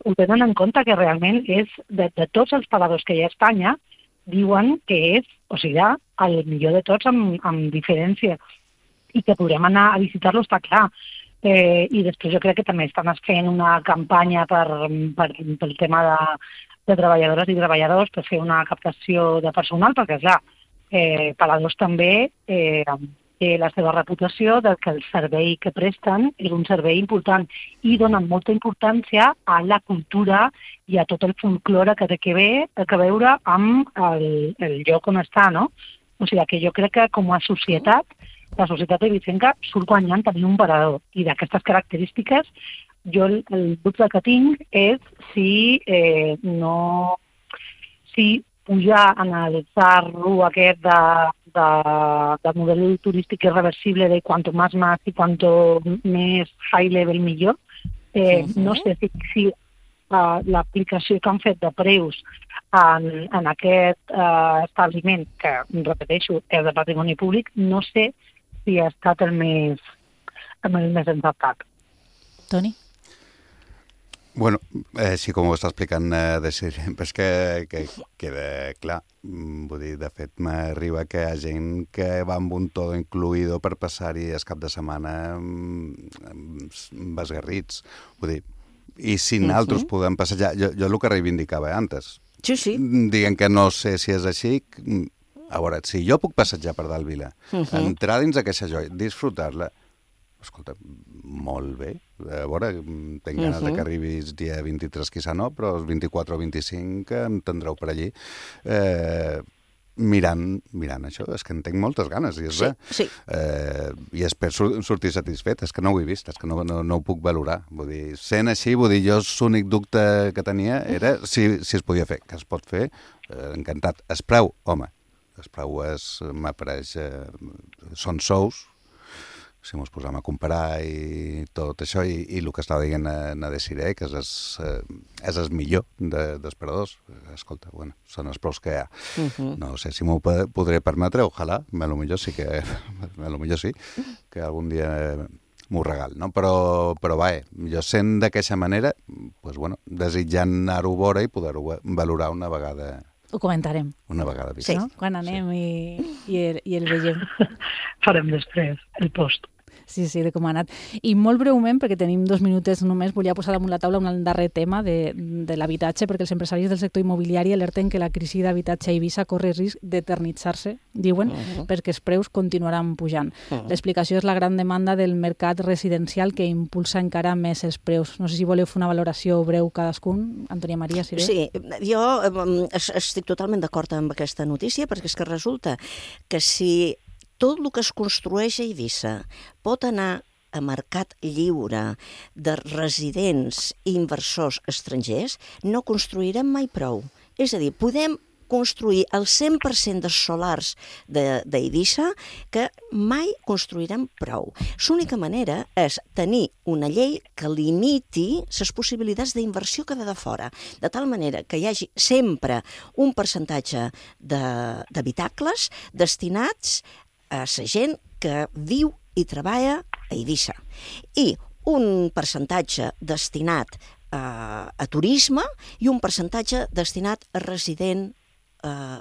Speaker 17: ho tenen en compte que realment és, de, de tots els paradors que hi ha a Espanya, diuen que és, o sigui, el millor de tots amb, amb diferència, i que podrem anar a visitar-lo, està clar. Eh, I després jo crec que també estan fent una campanya per, per, pel tema de, de treballadores i treballadors, per fer una captació de personal, perquè, clar, eh, paradors també eh, té la seva reputació de que el servei que presten és un servei important i donen molta importància a la cultura i a tot el folklore que té que, ve, que veure amb el, el lloc on està, no? O sigui que jo crec que com a societat, la societat eivissenca surt guanyant tenir un parador. I d'aquestes característiques, jo el, el dubte que tinc és si eh, no... si pujar en el zarro aquest de, de, de model turístic irreversible de cuanto más más y cuanto més high level millor. Eh, uh-huh. No sé si, si uh, l'aplicació que han fet de preus en, en aquest uh, establiment, que, repeteixo, és de patrimoni públic, no sé si ha estat el més, el més encertat.
Speaker 4: Toni?
Speaker 16: Bueno, eh, sí, com ho està explicant, eh, de ser, és que, que queda clar. Vull dir, de fet, m'arriba que hi ha gent que va amb un todo incluïdo per passar-hi el cap de setmana amb esgarrits. Vull dir, i si nosaltres uh-huh. podem passejar... Jo, jo el que reivindicava antes.
Speaker 15: Sí, sí.
Speaker 16: Diguem que no sé si és així. A veure, si jo puc passejar per dalt Vila, uh-huh. entrar dins aquesta joia, disfrutar-la, escolta, molt bé. A veure, tinc ganes uh-huh. de que arribis dia vint-i-tres, quizà no, però els vint-i-quatre o vint-i-cinc em tindreu per allí eh, mirant, mirant això. És que en tinc moltes ganes, i és
Speaker 15: sí,
Speaker 16: bé.
Speaker 15: Sí.
Speaker 16: Eh, I espero sur sortir satisfet. És que no ho he vist, és que no, no, no ho puc valorar. Vull dir, sent així, vull dir, jo l'únic dubte que tenia era si, si es podia fer, que es pot fer, eh, encantat. Es preu, home, es preu és, m'apareix, eh, són sous, si mos posem a comparar i tot això, i, i el que estava dient a, a Desiree, que és el, és el millor de, dels paradors. Escolta, bueno, són els preus que hi ha. Uh-huh. No sé si m'ho podré permetre, ojalà, a lo millor sí que, a lo millor sí, que algun dia m'ho regal, no? Però, però va, jo sent d'aquesta manera, pues, bueno, desitjant anar-ho a veure i poder-ho valorar una vegada.
Speaker 4: Ho comentarem.
Speaker 16: Una vegada vist.
Speaker 4: Sí. No? Quan anem sí. i, i, el, i el veiem.
Speaker 17: Farem després el post.
Speaker 4: Sí, sí, de com ha anat. I molt breument, perquè tenim dos minutets només, volia posar damunt la taula un darrer tema de, de l'habitatge, perquè els empresaris del sector immobiliari alerten que la crisi d'habitatge a Eivissa corre risc d'eternitzar-se, diuen, uh-huh. perquè els preus continuaran pujant. Uh-huh. L'explicació és la gran demanda del mercat residencial que impulsa encara més els preus. No sé si voleu fer una valoració breu cadascun. Antònia Maria, si bé.
Speaker 15: Sí, jo estic totalment d'acord amb aquesta notícia, perquè és que resulta que si tot el que es construeix a Eivissa pot anar a mercat lliure de residents i inversors estrangers, no construirem mai prou. És a dir, podem construir el cent per cent dels solars d'Eivissa que mai construirem prou. L'única manera és tenir una llei que limiti les possibilitats d'inversió que ve de fora, de tal manera que hi hagi sempre un percentatge d'habitacles destinats a la gent que viu i treballa a Eivissa i un percentatge destinat a, a turisme i un percentatge destinat a resident eh,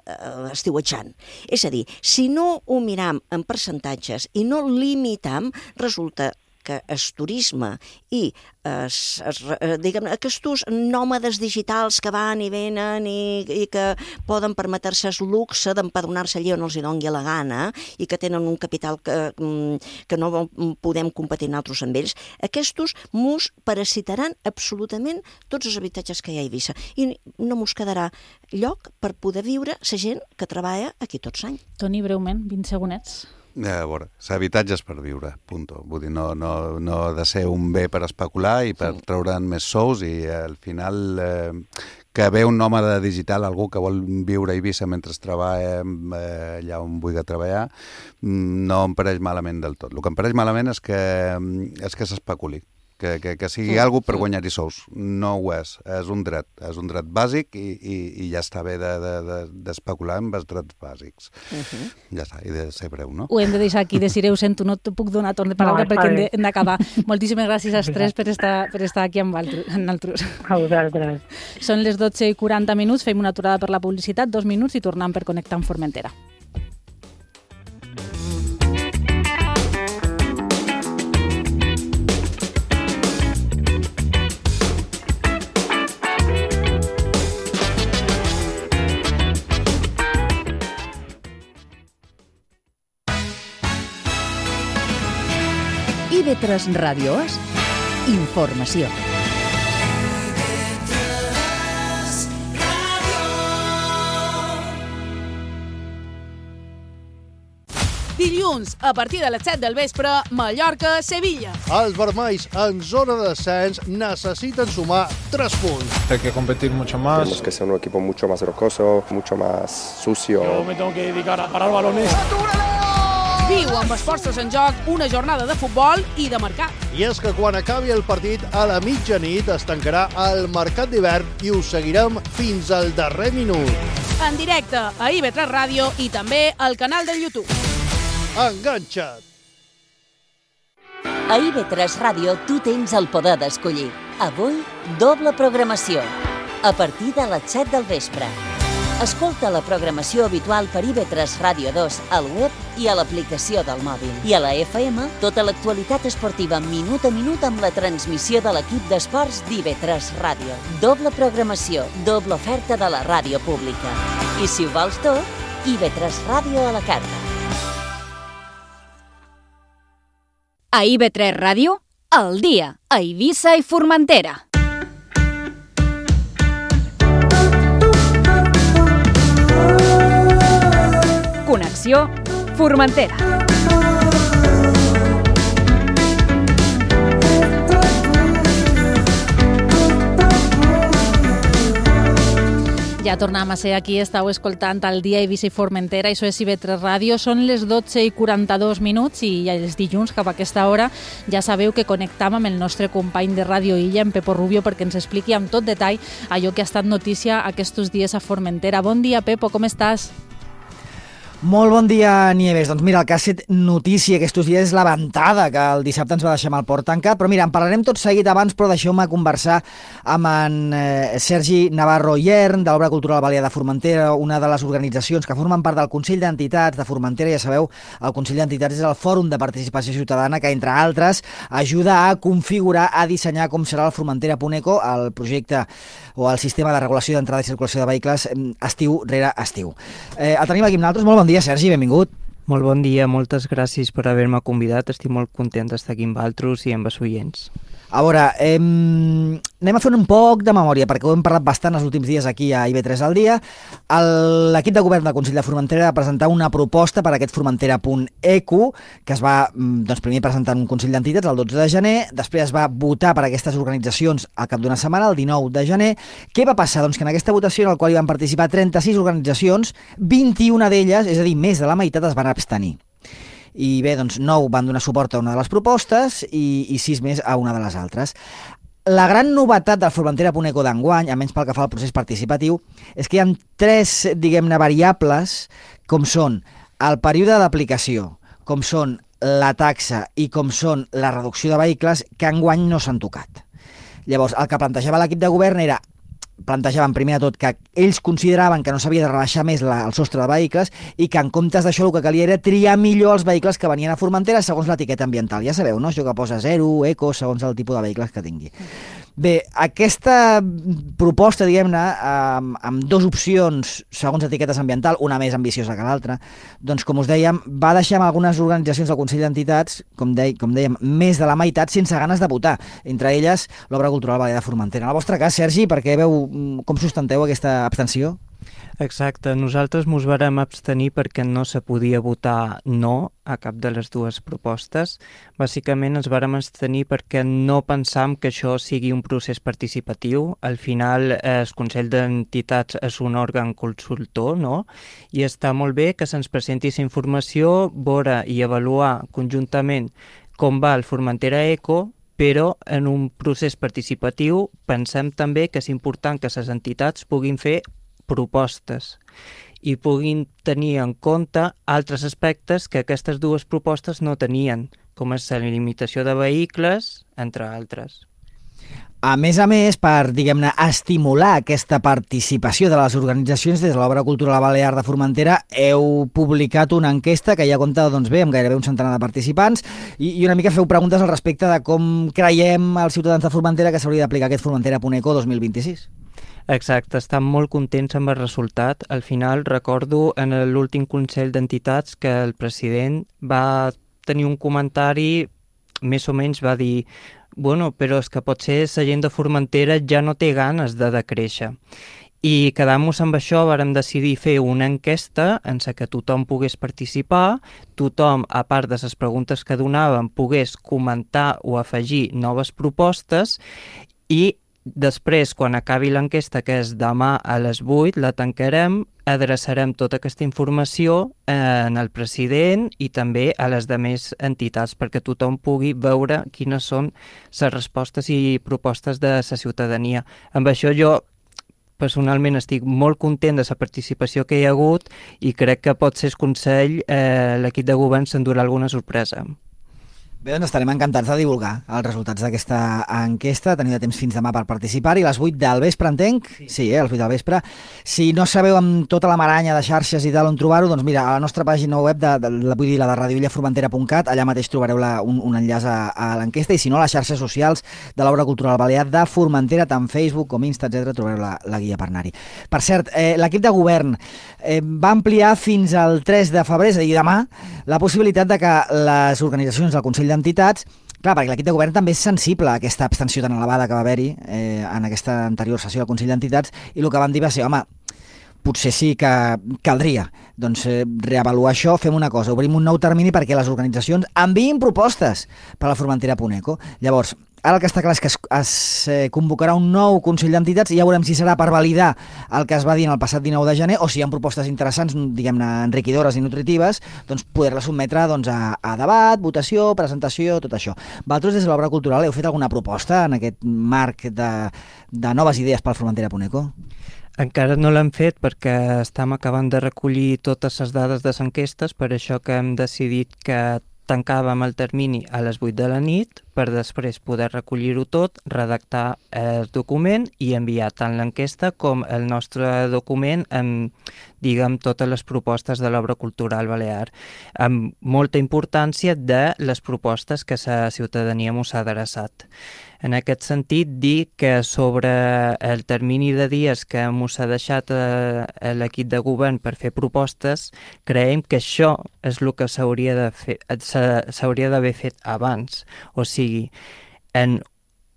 Speaker 15: estiuetjant. És a dir, si no ho miram en percentatges i no limitam, resulta que el turisme i es, es, diguem, aquests nòmades digitals que van i venen i, i que poden permetre-se el luxe d'empadronar-se allà on els hi doni la gana i que tenen un capital que, que no podem competir nosaltres amb ells, aquests mos parasitaran absolutament tots els habitatges que hi ha a Eivissa i no mos quedarà lloc per poder viure la gent que treballa aquí tots l'any.
Speaker 4: Toni, breument, vint segonets.
Speaker 16: A veure, l'habitatge és per viure, punto. Vull dir, no, no, no ha de ser un bé per especular i per sí. treure'n més sous i al final eh, que ve un nòmada digital, algú que vol viure a Eivissa mentre treballa eh, allà on vulgui treballar, no em pareix malament del tot. El que em pareix malament és que, és que s'especuli. Que, que, que sigui sí, alguna per sí. guanyar-hi sous. No ho és. És un dret. És un dret bàsic i, i, i ja està bé d'especular de, de, amb els drets bàsics. Uh-huh. Ja està, i de ser breu, no?
Speaker 4: Ho hem de deixar aquí. Desireu, sento, no te puc donar torn de paraula no, perquè hem d'acabar. Moltíssimes gràcies als tres per estar, per estar aquí amb altres.
Speaker 17: A vosaltres.
Speaker 4: Són les dotze i quaranta minuts, fem una aturada per la publicitat, dos minuts i tornem per connectar amb Formentera.
Speaker 2: I V tres Ràdio és informació.
Speaker 18: Dilluns, a partir de les set del vespre, Mallorca-Sevilla.
Speaker 19: Els vermells, en zona de descens, necessiten sumar tres punts.
Speaker 20: Hay que competir mucho más.
Speaker 21: Tenemos que ser un equipo mucho más rocoso, mucho más sucio.
Speaker 22: Yo me tengo que dedicar a parar balones.
Speaker 18: Viu amb els forces en joc una jornada de futbol i de mercat.
Speaker 19: I és que quan acabi el partit, a la mitjanit es tancarà el mercat d'hivern i us seguirem fins al darrer minut.
Speaker 18: En directe a I V tres Ràdio i també al canal de YouTube.
Speaker 19: Enganxa't!
Speaker 11: A I V tres Ràdio tu tens el poder d'escollir. Avui, doble programació. A partir de les set del vespre. Escolta la programació habitual per I V tres Ràdio dos al web i a l'aplicació del mòbil. I a la F M, tota l'actualitat esportiva minut a minut amb la transmissió de l'equip d'esports d'I V tres Ràdio. Doble programació, doble oferta de la ràdio pública. I si ho vols tot, I V tres Ràdio a la carta.
Speaker 3: A I V tres Ràdio, al dia, a Eivissa i Formentera. Connexió Formentera.
Speaker 4: Ja tornem a ser aquí, estàu escoltant el dia Eivissa i Formentera, això és I V tres Ràdio, són les dotze i quaranta-dos minuts i els dilluns cap a aquesta hora ja sabeu que connectam amb el nostre company de Ràdio Illa, en Pepo Rubio, perquè ens expliqui amb tot detall allò que ha estat notícia aquests dies a Formentera. Bon dia, Pepo, com estàs?
Speaker 1: Molt bon dia, Nieves. Doncs mira, el que ha set notícia aquests dies és la ventada que el dissabte ens va deixar amb el port tancat, però mira, en parlarem tot seguit abans, però deixeu-me conversar amb en eh, Sergi Navarro Iern, de l'Obra Cultural Balear de Formentera, una de les organitzacions que formen part del Consell d'Entitats de Formentera. Ja sabeu, el Consell d'Entitats és el fòrum de participació ciutadana que, entre altres, ajuda a configurar, a dissenyar com serà el Formentera punt eco, el projecte o el sistema de regulació d'entrada i circulació de vehicles estiu rere estiu. Eh, el tenim aquí amb nosaltres. Molt bon dia, Sergi, benvingut.
Speaker 20: Molt bon dia, moltes gràcies per haver-me convidat. Estic molt content d'estar aquí amb altres i amb els oients.
Speaker 1: A veure, eh, anem a fer un poc de memòria, perquè ho hem parlat bastant els últims dies aquí a I B tres al dia. L'equip de govern del Consell de Formentera va presentar una proposta per a aquest Formentera punt eco, que es va doncs, primer presentar en un Consell d'Entitats el dotze de gener, després es va votar per a aquestes organitzacions al cap d'una setmana, el dinou de gener. Què va passar? Doncs que en aquesta votació, en la qual hi van participar trenta-sis organitzacions, vint-i-una d'elles, és a dir, més de la meitat, es van abstenir. I bé, doncs nou van donar suport a una de les propostes i, i sis més a una de les altres. La gran novetat del Formentera punt eco d'enguany, almenys pel que fa al procés participatiu, és que hi ha tres, diguem-ne, variables, com són el període d'aplicació, com són la taxa i com són la reducció de vehicles, que enguany no s'han tocat. Llavors, el que plantejava l'equip de govern era plantejaven primer de tot que ells consideraven que no s'havia de rebaixar més la, el sostre de vehicles i que en comptes d'això el que calia era triar millor els vehicles que venien a Formentera segons l'etiqueta ambiental. Ja sabeu, no? Això que posa zero, eco, segons el tipus de vehicles que tingui. Bé, aquesta proposta, diguem-ne, amb, amb dues opcions segons etiquetes ambiental, una més ambiciosa que l'altra, doncs, com us dèiem, va deixar amb algunes organitzacions del Consell d'Entitats, com, de, com dèiem, més de la meitat sense ganes de votar, entre elles l'Obra Cultural Balear de Formentera. En el vostre cas, Sergi, perquè veu com sustenteu aquesta abstenció?
Speaker 20: Exacte, nosaltres mos vàrem abstenir perquè no se podia votar no a cap de les dues propostes. Bàsicament ens vàrem abstenir perquè no pensam que això sigui un procés participatiu. Al final eh, el Consell d'Entitats és un òrgan consultor, no? I està molt bé que se'ns presenti aquesta informació, veure i avaluar conjuntament com va el Formentera Eco, però en un procés participatiu pensem també que és important que les entitats puguin fer propostes i puguin tenir en compte altres aspectes que aquestes dues propostes no tenien, com és la limitació de vehicles, entre altres.
Speaker 1: A més a més, per, diguem-ne, estimular aquesta participació de les organitzacions des de l'Obra Cultural Balear de Formentera, heu publicat una enquesta que ja compta, doncs bé, amb gairebé un centenar de participants i, i una mica feu preguntes al respecte de com creiem els ciutadans de Formentera que s'hauria d'aplicar aquest Formentera punt eco dos mil vint-i-sis.
Speaker 20: Exacte, estem molt contents amb el resultat. Al final recordo en l'últim Consell d'Entitats que el president va tenir un comentari, més o menys va dir bueno, però és que potser la gent de Formentera ja no té ganes de decréixer. I quedant-nos amb això vàrem decidir fer una enquesta en la que tothom pogués participar, tothom, a part de les preguntes que donàvem, pogués comentar o afegir noves propostes i després, quan acabi l'enquesta, que és demà a les vuit, la tancarem, adreçarem tota aquesta informació en el president i també a les demés entitats perquè tothom pugui veure quines són les respostes i propostes de la ciutadania. Amb això jo personalment estic molt content de la participació que hi ha hagut i crec que pot ser el Consell, eh, l'equip de govern s'endurà alguna sorpresa.
Speaker 1: Bé, doncs estarem encantats de divulgar els resultats d'aquesta enquesta. Teniu de temps fins demà per participar-hi. A les vuit del vespre, entenc? Sí, sí eh, a les vuit del vespre. Si no sabeu amb tota la maranya de xarxes i tal on trobar-ho, doncs mira, a la nostra pàgina web, de, de, de, vull dir, la de radio illa formentera punt cat, allà mateix trobareu la, un, un enllaç a, a l'enquesta, i si no, a les xarxes socials de l'Obra Cultural Balear de Formentera, tant Facebook com Insta, etcètera, trobareu la, la guia per anar-hi. Per cert, eh, l'equip de govern eh, va ampliar fins al tres de febrer, és a dir, demà, la possibilitat de que les organitzacions del Consell d'Entitats, clar, perquè l'equip de govern també és sensible a aquesta abstenció tan elevada que va haver-hi eh, en aquesta anterior sessió del Consell d'Entitats, i el que van dir va ser, home, potser sí que caldria doncs, eh, reavaluar això, fem una cosa, obrim un nou termini perquè les organitzacions enviïn propostes per a la Formentera punt eco. Llavors, ara el que està clar és que es, es eh, convocarà un nou Consell d'Entitats i ja veurem si serà per validar el que es va dir en el passat dinou de gener o si hi ha propostes interessants, diguem-ne, enriquidores i nutritives, doncs poder-les sotmetre doncs, a, a debat, votació, presentació, tot això. Vosaltres des de l'Obra Cultural heu fet alguna proposta en aquest marc de, de noves idees pel Formentera punt eco?
Speaker 20: Encara no l'hem fet perquè estem acabant de recollir totes les dades de les enquestes, per això que hem decidit que tancàvem el termini a les vuit de la nit per després poder recollir-ho tot, redactar el document i enviar tant l'enquesta com el nostre document amb, diguem, totes les propostes de l'obra cultural balear, amb molta importància de les propostes que la ciutadania mos ha adreçat. En aquest sentit, dir que sobre el termini de dies que mos ha deixat eh, l'equip de govern per fer propostes, creiem que això és el que s'hauria de fer, s'hauria d'haver fet abans. O sigui, en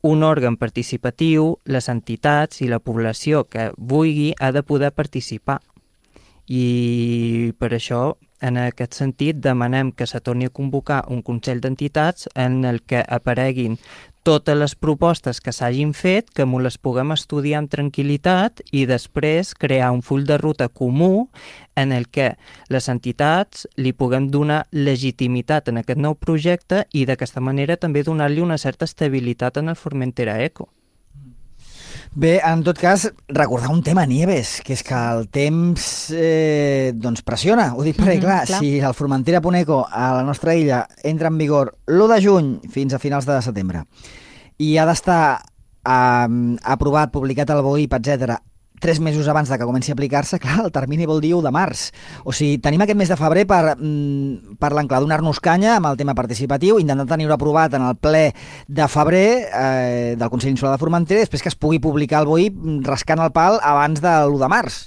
Speaker 20: un òrgan participatiu, les entitats i la població que vulgui ha de poder participar. I per això, en aquest sentit, demanem que se torni a convocar un Consell d'Entitats en el que apareguin totes les propostes que s'hagin fet, que m'ho les puguem estudiar amb tranquil·litat i després crear un full de ruta comú en el que les entitats li puguem donar legitimitat en aquest nou projecte i d'aquesta manera també donar-li una certa estabilitat en el Formentera Eco.
Speaker 1: Bé, en tot cas, recordar un tema, Nieves, que és que el temps eh, doncs pressiona. Ho dic perquè, mm-hmm, clar, clar, si el Formentera punt eco a la nostra illa entra en vigor l'u de juny fins a finals de setembre i ha d'estar eh, aprovat, publicat al B O I P, etcètera, tres mesos abans de que comenci a aplicar-se, clar, el termini vol dir u de març. O sigui, tenim aquest mes de febrer per, per l'enclar, donar-nos canya amb el tema participatiu, intentant tenir-ho aprovat en el ple de febrer eh, del Consell Insular de Formentera i després que es pugui publicar al B O I rascant el pal abans de l'u de març.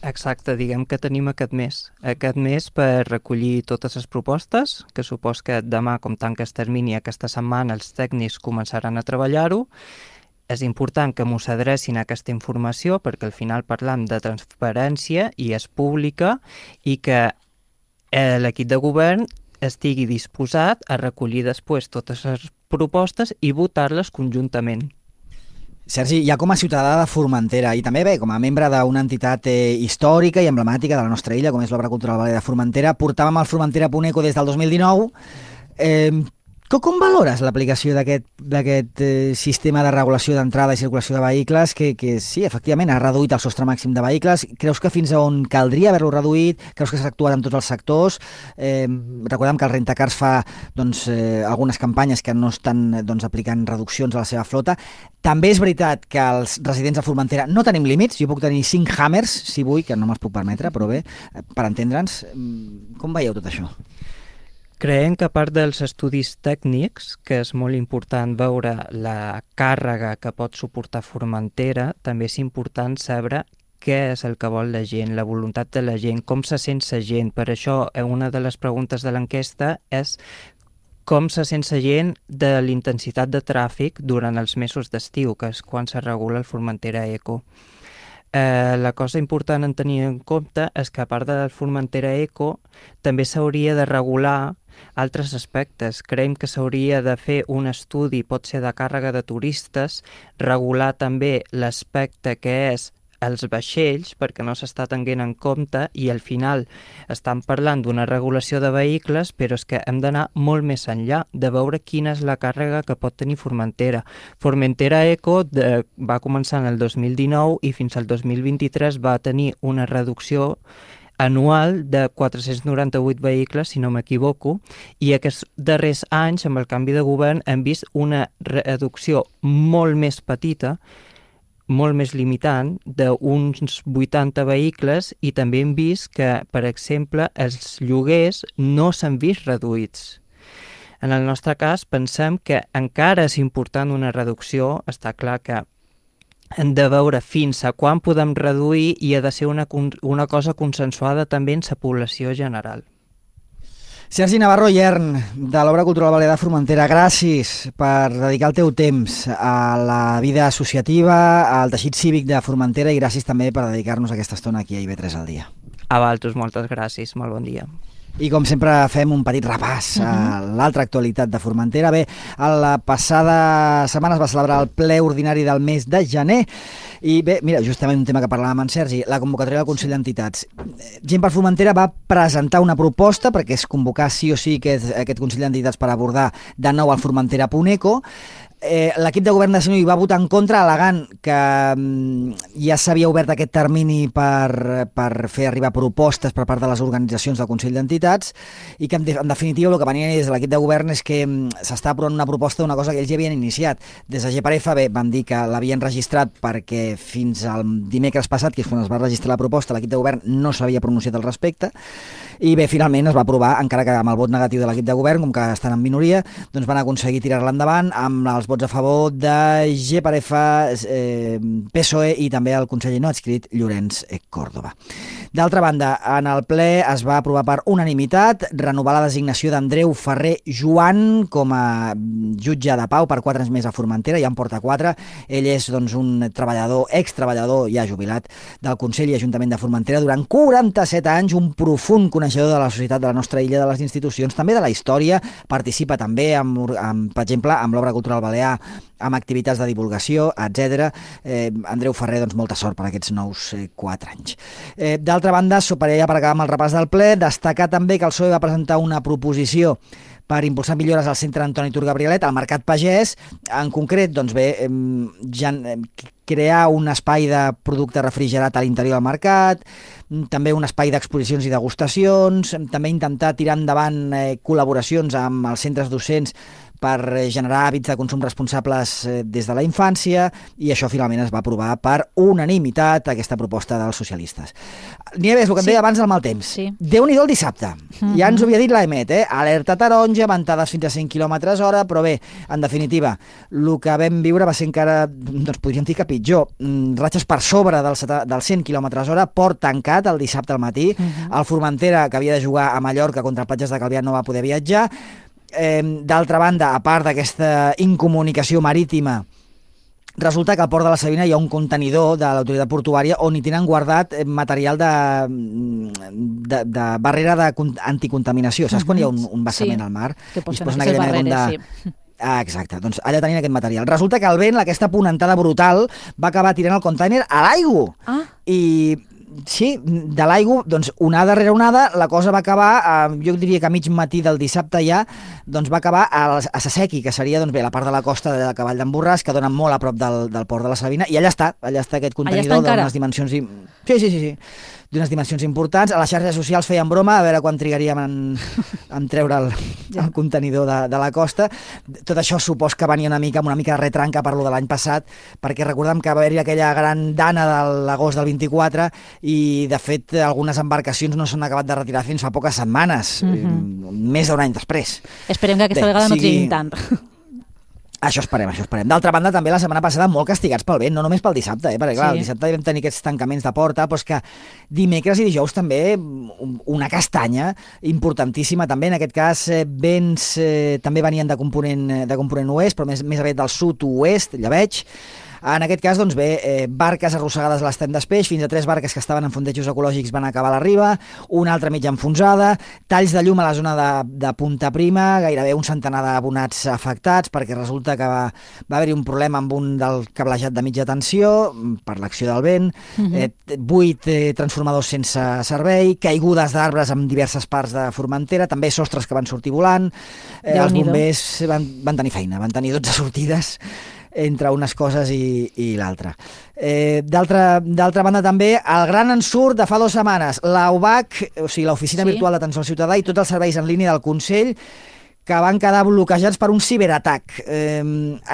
Speaker 20: Exacte, diguem que tenim aquest mes. Aquest mes per recollir totes les propostes, que supos que demà, com tanca el termini, aquesta setmana els tècnics començaran a treballar-ho. És important que mos adrecin a aquesta informació perquè al final parlam de transparència i és pública i que eh, l'equip de govern estigui disposat a recollir després totes les propostes i votar-les conjuntament.
Speaker 1: Sergi, ja com a ciutadà de Formentera i també bé, com a membre d'una entitat eh, històrica i emblemàtica de la nostra illa, com és l'Obra Cultural Balear de Formentera, portàvem el Formentera punt eco des del dos mil dinou. Eh, Com valores l'aplicació d'aquest eh, sistema de regulació d'entrada i circulació de vehicles que, que sí, efectivament, ha reduït el sostre màxim de vehicles? Creus que fins a on caldria haver-lo reduït? Creus que s'ha actuat en tots els sectors? Eh, recordem que el Rentacars fa doncs, eh, algunes campanyes que no estan doncs, aplicant reduccions a la seva flota. També és veritat que els residents de Formentera no tenim límits. Jo puc tenir cinc Hammers, si vull, que no me'ls puc permetre, però bé, per entendre'ns, com veieu tot això?
Speaker 20: Creiem que a part dels estudis tècnics, que és molt important veure la càrrega que pot suportar Formentera, també és important saber què és el que vol la gent, la voluntat de la gent, com se sent la gent. Per això, una de les preguntes de l'enquesta és com se sent la gent de l'intensitat de tràfic durant els mesos d'estiu, que és quan se regula el Formentera Eco. Eh, la cosa important en tenir en compte és que a part del Formentera Eco també s'hauria de regular altres aspectes. Creiem que s'hauria de fer un estudi, pot ser de càrrega de turistes, regular també l'aspecte que és els vaixells, perquè no s'està tenint en compte i al final estan parlant d'una regulació de vehicles, però és que hem d'anar molt més enllà de veure quina és la càrrega que pot tenir Formentera. Formentera Eco de, va començar en el dos mil dinou i fins al dos mil vint-i-tres va tenir una reducció anual de quatre-cents noranta-vuit vehicles, si no m'equivoco, i aquests darrers anys, amb el canvi de govern, hem vist una reducció molt més petita, molt més limitant, d'uns vuitanta vehicles, i també hem vist que, per exemple, els lloguers no s'han vist reduïts. En el nostre cas, pensem que encara és important una reducció, està clar que hem de veure fins a quan podem reduir i ha de ser una, una cosa consensuada també en la població general.
Speaker 1: Sergi Navarro Yern, de l'Obra Cultural Balear de Formentera, gràcies per dedicar el teu temps a la vida associativa, al teixit cívic de Formentera i gràcies també per dedicar-nos aquesta estona aquí a I B tres al dia.
Speaker 20: A vosaltres, moltes gràcies, molt bon dia.
Speaker 1: I com sempre fem un petit repàs a l'altra actualitat de Formentera. Bé, a la passada setmana es va celebrar el ple ordinari del mes de gener i bé, mira, justament un tema que parlàvem amb en Sergi, la convocatòria del Consell d'Entitats. Gent per Formentera va presentar una proposta perquè es convocar sí o sí aquest, aquest Consell d'Entitats per abordar de nou el Formentera punt eco. Eh, l'equip de govern de Senui va votar en contra, al·legant que mm, ja s'havia obert aquest termini per, per fer arribar propostes per part de les organitzacions del Consell d'Entitats i que, en, de, en definitiva, el que venien des de l'equip de govern és que mm, s'està aprovant una proposta d'una cosa que ells ja havien iniciat. Des de G per F, bé, van dir que l'havien registrat perquè fins al dimecres passat, que és quan es va registrar la proposta, l'equip de govern no s'havia pronunciat al respecte, i bé, finalment es va aprovar, encara que amb el vot negatiu de l'equip de govern, com que estan en minoria, doncs van aconseguir tirar-la endavant amb els vots a favor de G per F, eh, P S O E i també el conseller no adscrit Llorenç Córdoba. D'altra banda, en el ple es va aprovar per unanimitat renovar la designació d'Andreu Ferrer Joan com a jutge de pau per quatre anys més a Formentera, ja en porta quatre. Ell és doncs, un treballador, extreballador ja jubilat del Consell i Ajuntament de Formentera durant quaranta-set anys, un profund coneixedor de la societat de la nostra illa, de les institucions, també de la història, participa també, amb, amb, per exemple, amb l'Obra Cultural Balear, amb activitats de divulgació, etcètera. Eh, Andreu Ferrer, doncs, molta sort per aquests nous eh, quatre anys. Eh, D'altra banda, per allà per acabar amb el repàs del ple, destacar també que el P S O E va presentar una proposició per impulsar millores al centre Antoni Tur Gabrielet, al Mercat Pagès, en concret, doncs bé, ja, crear un espai de producte refrigerat a l'interior del mercat, també un espai d'exposicions i degustacions, també intentar tirar endavant eh, col·laboracions amb els centres docents per generar hàbits de consum responsables des de la infància, i això finalment es va aprovar per unanimitat, aquesta proposta dels socialistes. Nieves, el que em
Speaker 4: Sí.
Speaker 1: deia abans del mal temps.
Speaker 4: Sí.
Speaker 1: Déu-n'hi-do el dissabte.
Speaker 4: Mhm.
Speaker 1: Ja ens ho havia dit l'Emet, eh? Alerta taronja, ventades fins a cent quilòmetres hora, però bé, en definitiva, el que vam viure va ser encara, doncs podríem dir que pitjor. Mm, Ratxes per sobre dels, seta- dels cent quilòmetres hora, port tancat el dissabte al matí.
Speaker 4: Mhm.
Speaker 1: El Formentera, que havia de jugar a Mallorca contra Platges de Calvià, no va poder viatjar. Eh, D'altra banda, a part d'aquesta incomunicació marítima, resulta que al port de la Sabina hi ha un contenidor de l'autoritat portuària on hi tenen guardat eh, material de, de, de barrera de con- anticontaminació. Saps quan hi ha un, un vessament
Speaker 4: Sí,
Speaker 1: al mar?
Speaker 4: que
Speaker 1: I es
Speaker 4: posen
Speaker 1: posen
Speaker 4: aquestes
Speaker 1: aquella mena
Speaker 4: barreres,
Speaker 1: com de... Ah, exacte. Doncs allà tenien aquest material. Resulta que el vent, aquesta ponentada brutal, va acabar tirant el container a l'aigua.
Speaker 4: Ah.
Speaker 1: I sí, de l'aigua, doncs onada rere onada, la cosa va acabar, eh, jo diria que a mig matí del dissabte ja, doncs va acabar a, a Sasequi, que seria doncs bé la part de la costa de Cavall d'en Borràs, que dona molt a prop del, del port de la Sabina, i allà està, allà està aquest contenidor d'unes dimensions... I... Sí, sí, sí, sí. d'unes dimensions importants. A les xarxes socials feien broma, a veure quan trigaríem en, en treure el, el contenidor de, de la costa. Tot això supos que venia una mica amb una mica de retranca per lo de l'any passat, perquè recordem que va haver-hi aquella gran dana de l'agost del vint-i-quatre i, de fet, algunes embarcacions no s'han acabat de retirar fins fa poques setmanes,
Speaker 4: Mhm.
Speaker 1: més d'un any després.
Speaker 4: Esperem que aquesta
Speaker 1: Bé,
Speaker 4: vegada no
Speaker 1: sigui-
Speaker 4: triguin tant.
Speaker 1: Això esperem, això esperem. D'altra banda, també la setmana passada molt castigats pel vent, no només pel dissabte, eh? perquè clar,
Speaker 4: Sí.
Speaker 1: el dissabte vam tenir aquests tancaments de porta, però és que dimecres i dijous també un- una castanya importantíssima també, en aquest cas eh, vents eh, també venien de component, de component oest, però més, més aviat del sud-oest, ja veig. En aquest cas, doncs bé, eh, barques arrossegades a l'estany d'Espeix, fins a tres barques que estaven en fondejos ecològics van acabar a la riba, una altra mitja enfonsada, talls de llum a la zona de, de Punta Prima, gairebé un centenar d'abonats afectats, perquè resulta que va, va haver-hi un problema amb un del cablejat de mitja tensió, per l'acció del vent,
Speaker 4: Mhm.
Speaker 1: eh, vuit eh, transformadors sense servei, caigudes d'arbres en diverses parts de Formentera, també sostres que van sortir volant, eh, els
Speaker 4: Déu-n'hi-do.
Speaker 1: bombers van, van tenir feina, van tenir dotze sortides entre unes coses i, i l'altra. Eh, D'altra d'altra banda també, el gran ensurt de fa dues setmanes, l'A U B A C, o sigui, l'Oficina
Speaker 4: Sí.
Speaker 1: Virtual d'Atenció al Ciutadà i tots els serveis en línia del Consell, que van quedar bloquejats per un ciberatac. Eh,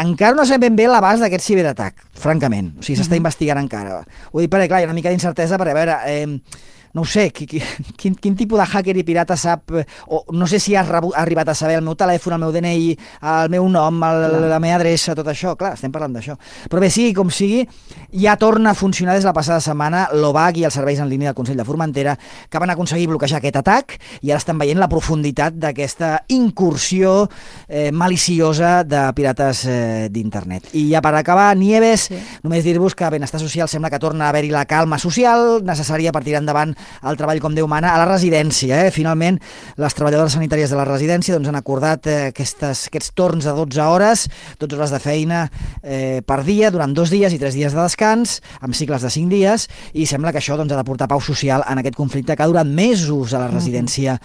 Speaker 1: encara no sabem ben bé l'abast d'aquest ciberatac, francament. O sigui, s'està
Speaker 4: Mhm.
Speaker 1: investigant encara. Ho dic perquè, clar, hi ha una mica d'incertesa, perquè, a veure... Eh, no ho sé, qui, qui, quin, quin tipus de hacker i pirata sap, eh, o no sé si has rebu, ha arribat a saber el meu telèfon, el meu D N I, el meu nom, el, la meva adreça, tot això, clar, estem parlant d'això. Però bé, sigui com sigui, ja torna a funcionar des de la passada setmana l'O B A C i els serveis en línia del Consell de Formentera, que van aconseguir bloquejar aquest atac, i ara estan veient la profunditat d'aquesta incursió eh, maliciosa de pirates eh, d'internet. I ja per acabar, Nieves, sí. només dir-vos que Benestar Social sembla que torna a haver-hi la calma social necessària per tirar endavant el treball com Déu mana a la residència. Eh? Finalment, les treballadores sanitàries de la residència doncs, han acordat eh, aquestes, aquests torns de dotze hores, dotze hores de feina eh, per dia, durant dos dies i tres dies de descans, amb cicles de cinc dies, i sembla que això doncs, ha de portar pau social en aquest conflicte que ha durat mesos a la residència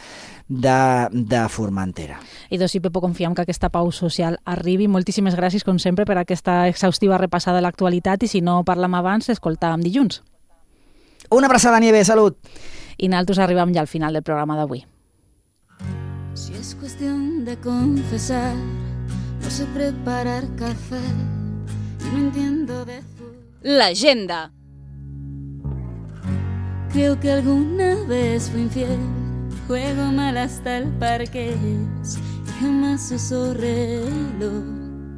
Speaker 1: de, de Formentera.
Speaker 4: I doncs sí, Pepo, confiem que aquesta pau social arribi. Moltíssimes gràcies, com sempre, per aquesta exhaustiva repassada de l'actualitat i si no parlam abans, escoltàvem dilluns.
Speaker 1: Una abraçada, Nieves, salut!
Speaker 4: I nosaltres arribem ja al final del programa d'avui.
Speaker 5: Si es cuestión de confesar, no sé preparar café y no entiendo de...
Speaker 3: L'agenda.
Speaker 5: Creo que alguna vez fui infiel, juego mal hasta el parqués y jamás uso reloj.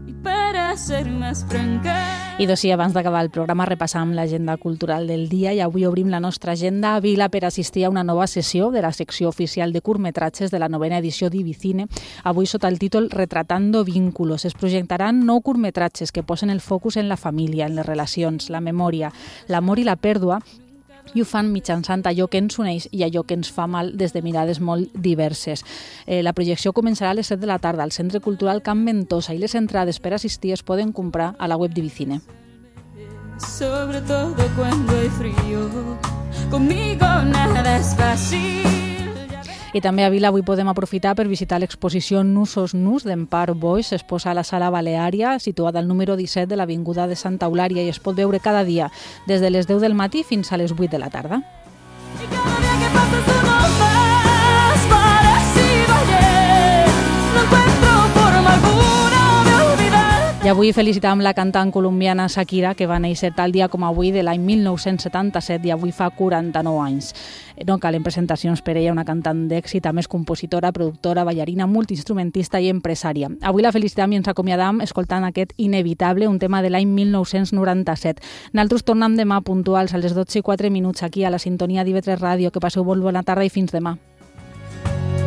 Speaker 5: Y para ser más franca...
Speaker 4: I doncs sí, abans d'acabar el programa repassam l'agenda cultural del dia i avui obrim la nostra agenda a Vila per assistir a una nova sessió de la secció oficial de curtmetratges de la novena edició d'Ibicine, avui sota el títol Retratando vínculos. Es projectaran nou curtmetratges que posen el focus en la família, en les relacions, la memòria, l'amor i la pèrdua, i ho fan mitjançant allò que ens uneix i allò que ens fa mal des de mirades molt diverses. Eh, la projecció començarà a les set de la tarda al Centre Cultural Can Ventosa i les entrades per assistir es poden comprar a la web d'Ibicine.
Speaker 5: Sobre todo cuando hay frío, conmigo nada es fácil.
Speaker 4: I també a Vila avui podem aprofitar per visitar l'exposició Nusos Nus d'Empar Boix. Es posa a la Sala Baleària, situada al número disset de l'Avinguda de Santa Eulària i es pot veure cada dia, des de les deu del matí fins a les vuit de la tarda.
Speaker 5: Y cada día que pasa es uno más parecido a ayer. No encuentro forma alguna de olvidar.
Speaker 4: I avui felicitàvem la cantant colombiana Shakira, que va néixer tal dia com avui de l'any mil nou-cents setanta-set i avui fa quaranta-nou anys. No calen presentacions per ella, una cantant d'èxit, a més compositora, productora, ballarina, multiinstrumentista i empresària. Avui la felicitam i ens acomiadam escoltant aquest Inevitable, un tema de l'any mil nou-cents noranta-set. Nosaltres tornem demà puntuals a les dotze i quatre minuts aquí a la sintonia d'I V tres Ràdio. Que passeu molt bona tarda i fins demà.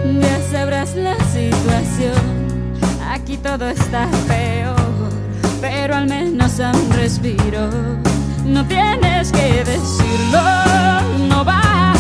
Speaker 5: Ya sabrás la situación, aquí todo está peor, pero al menos aún respiro. No tienes que decirlo, no vas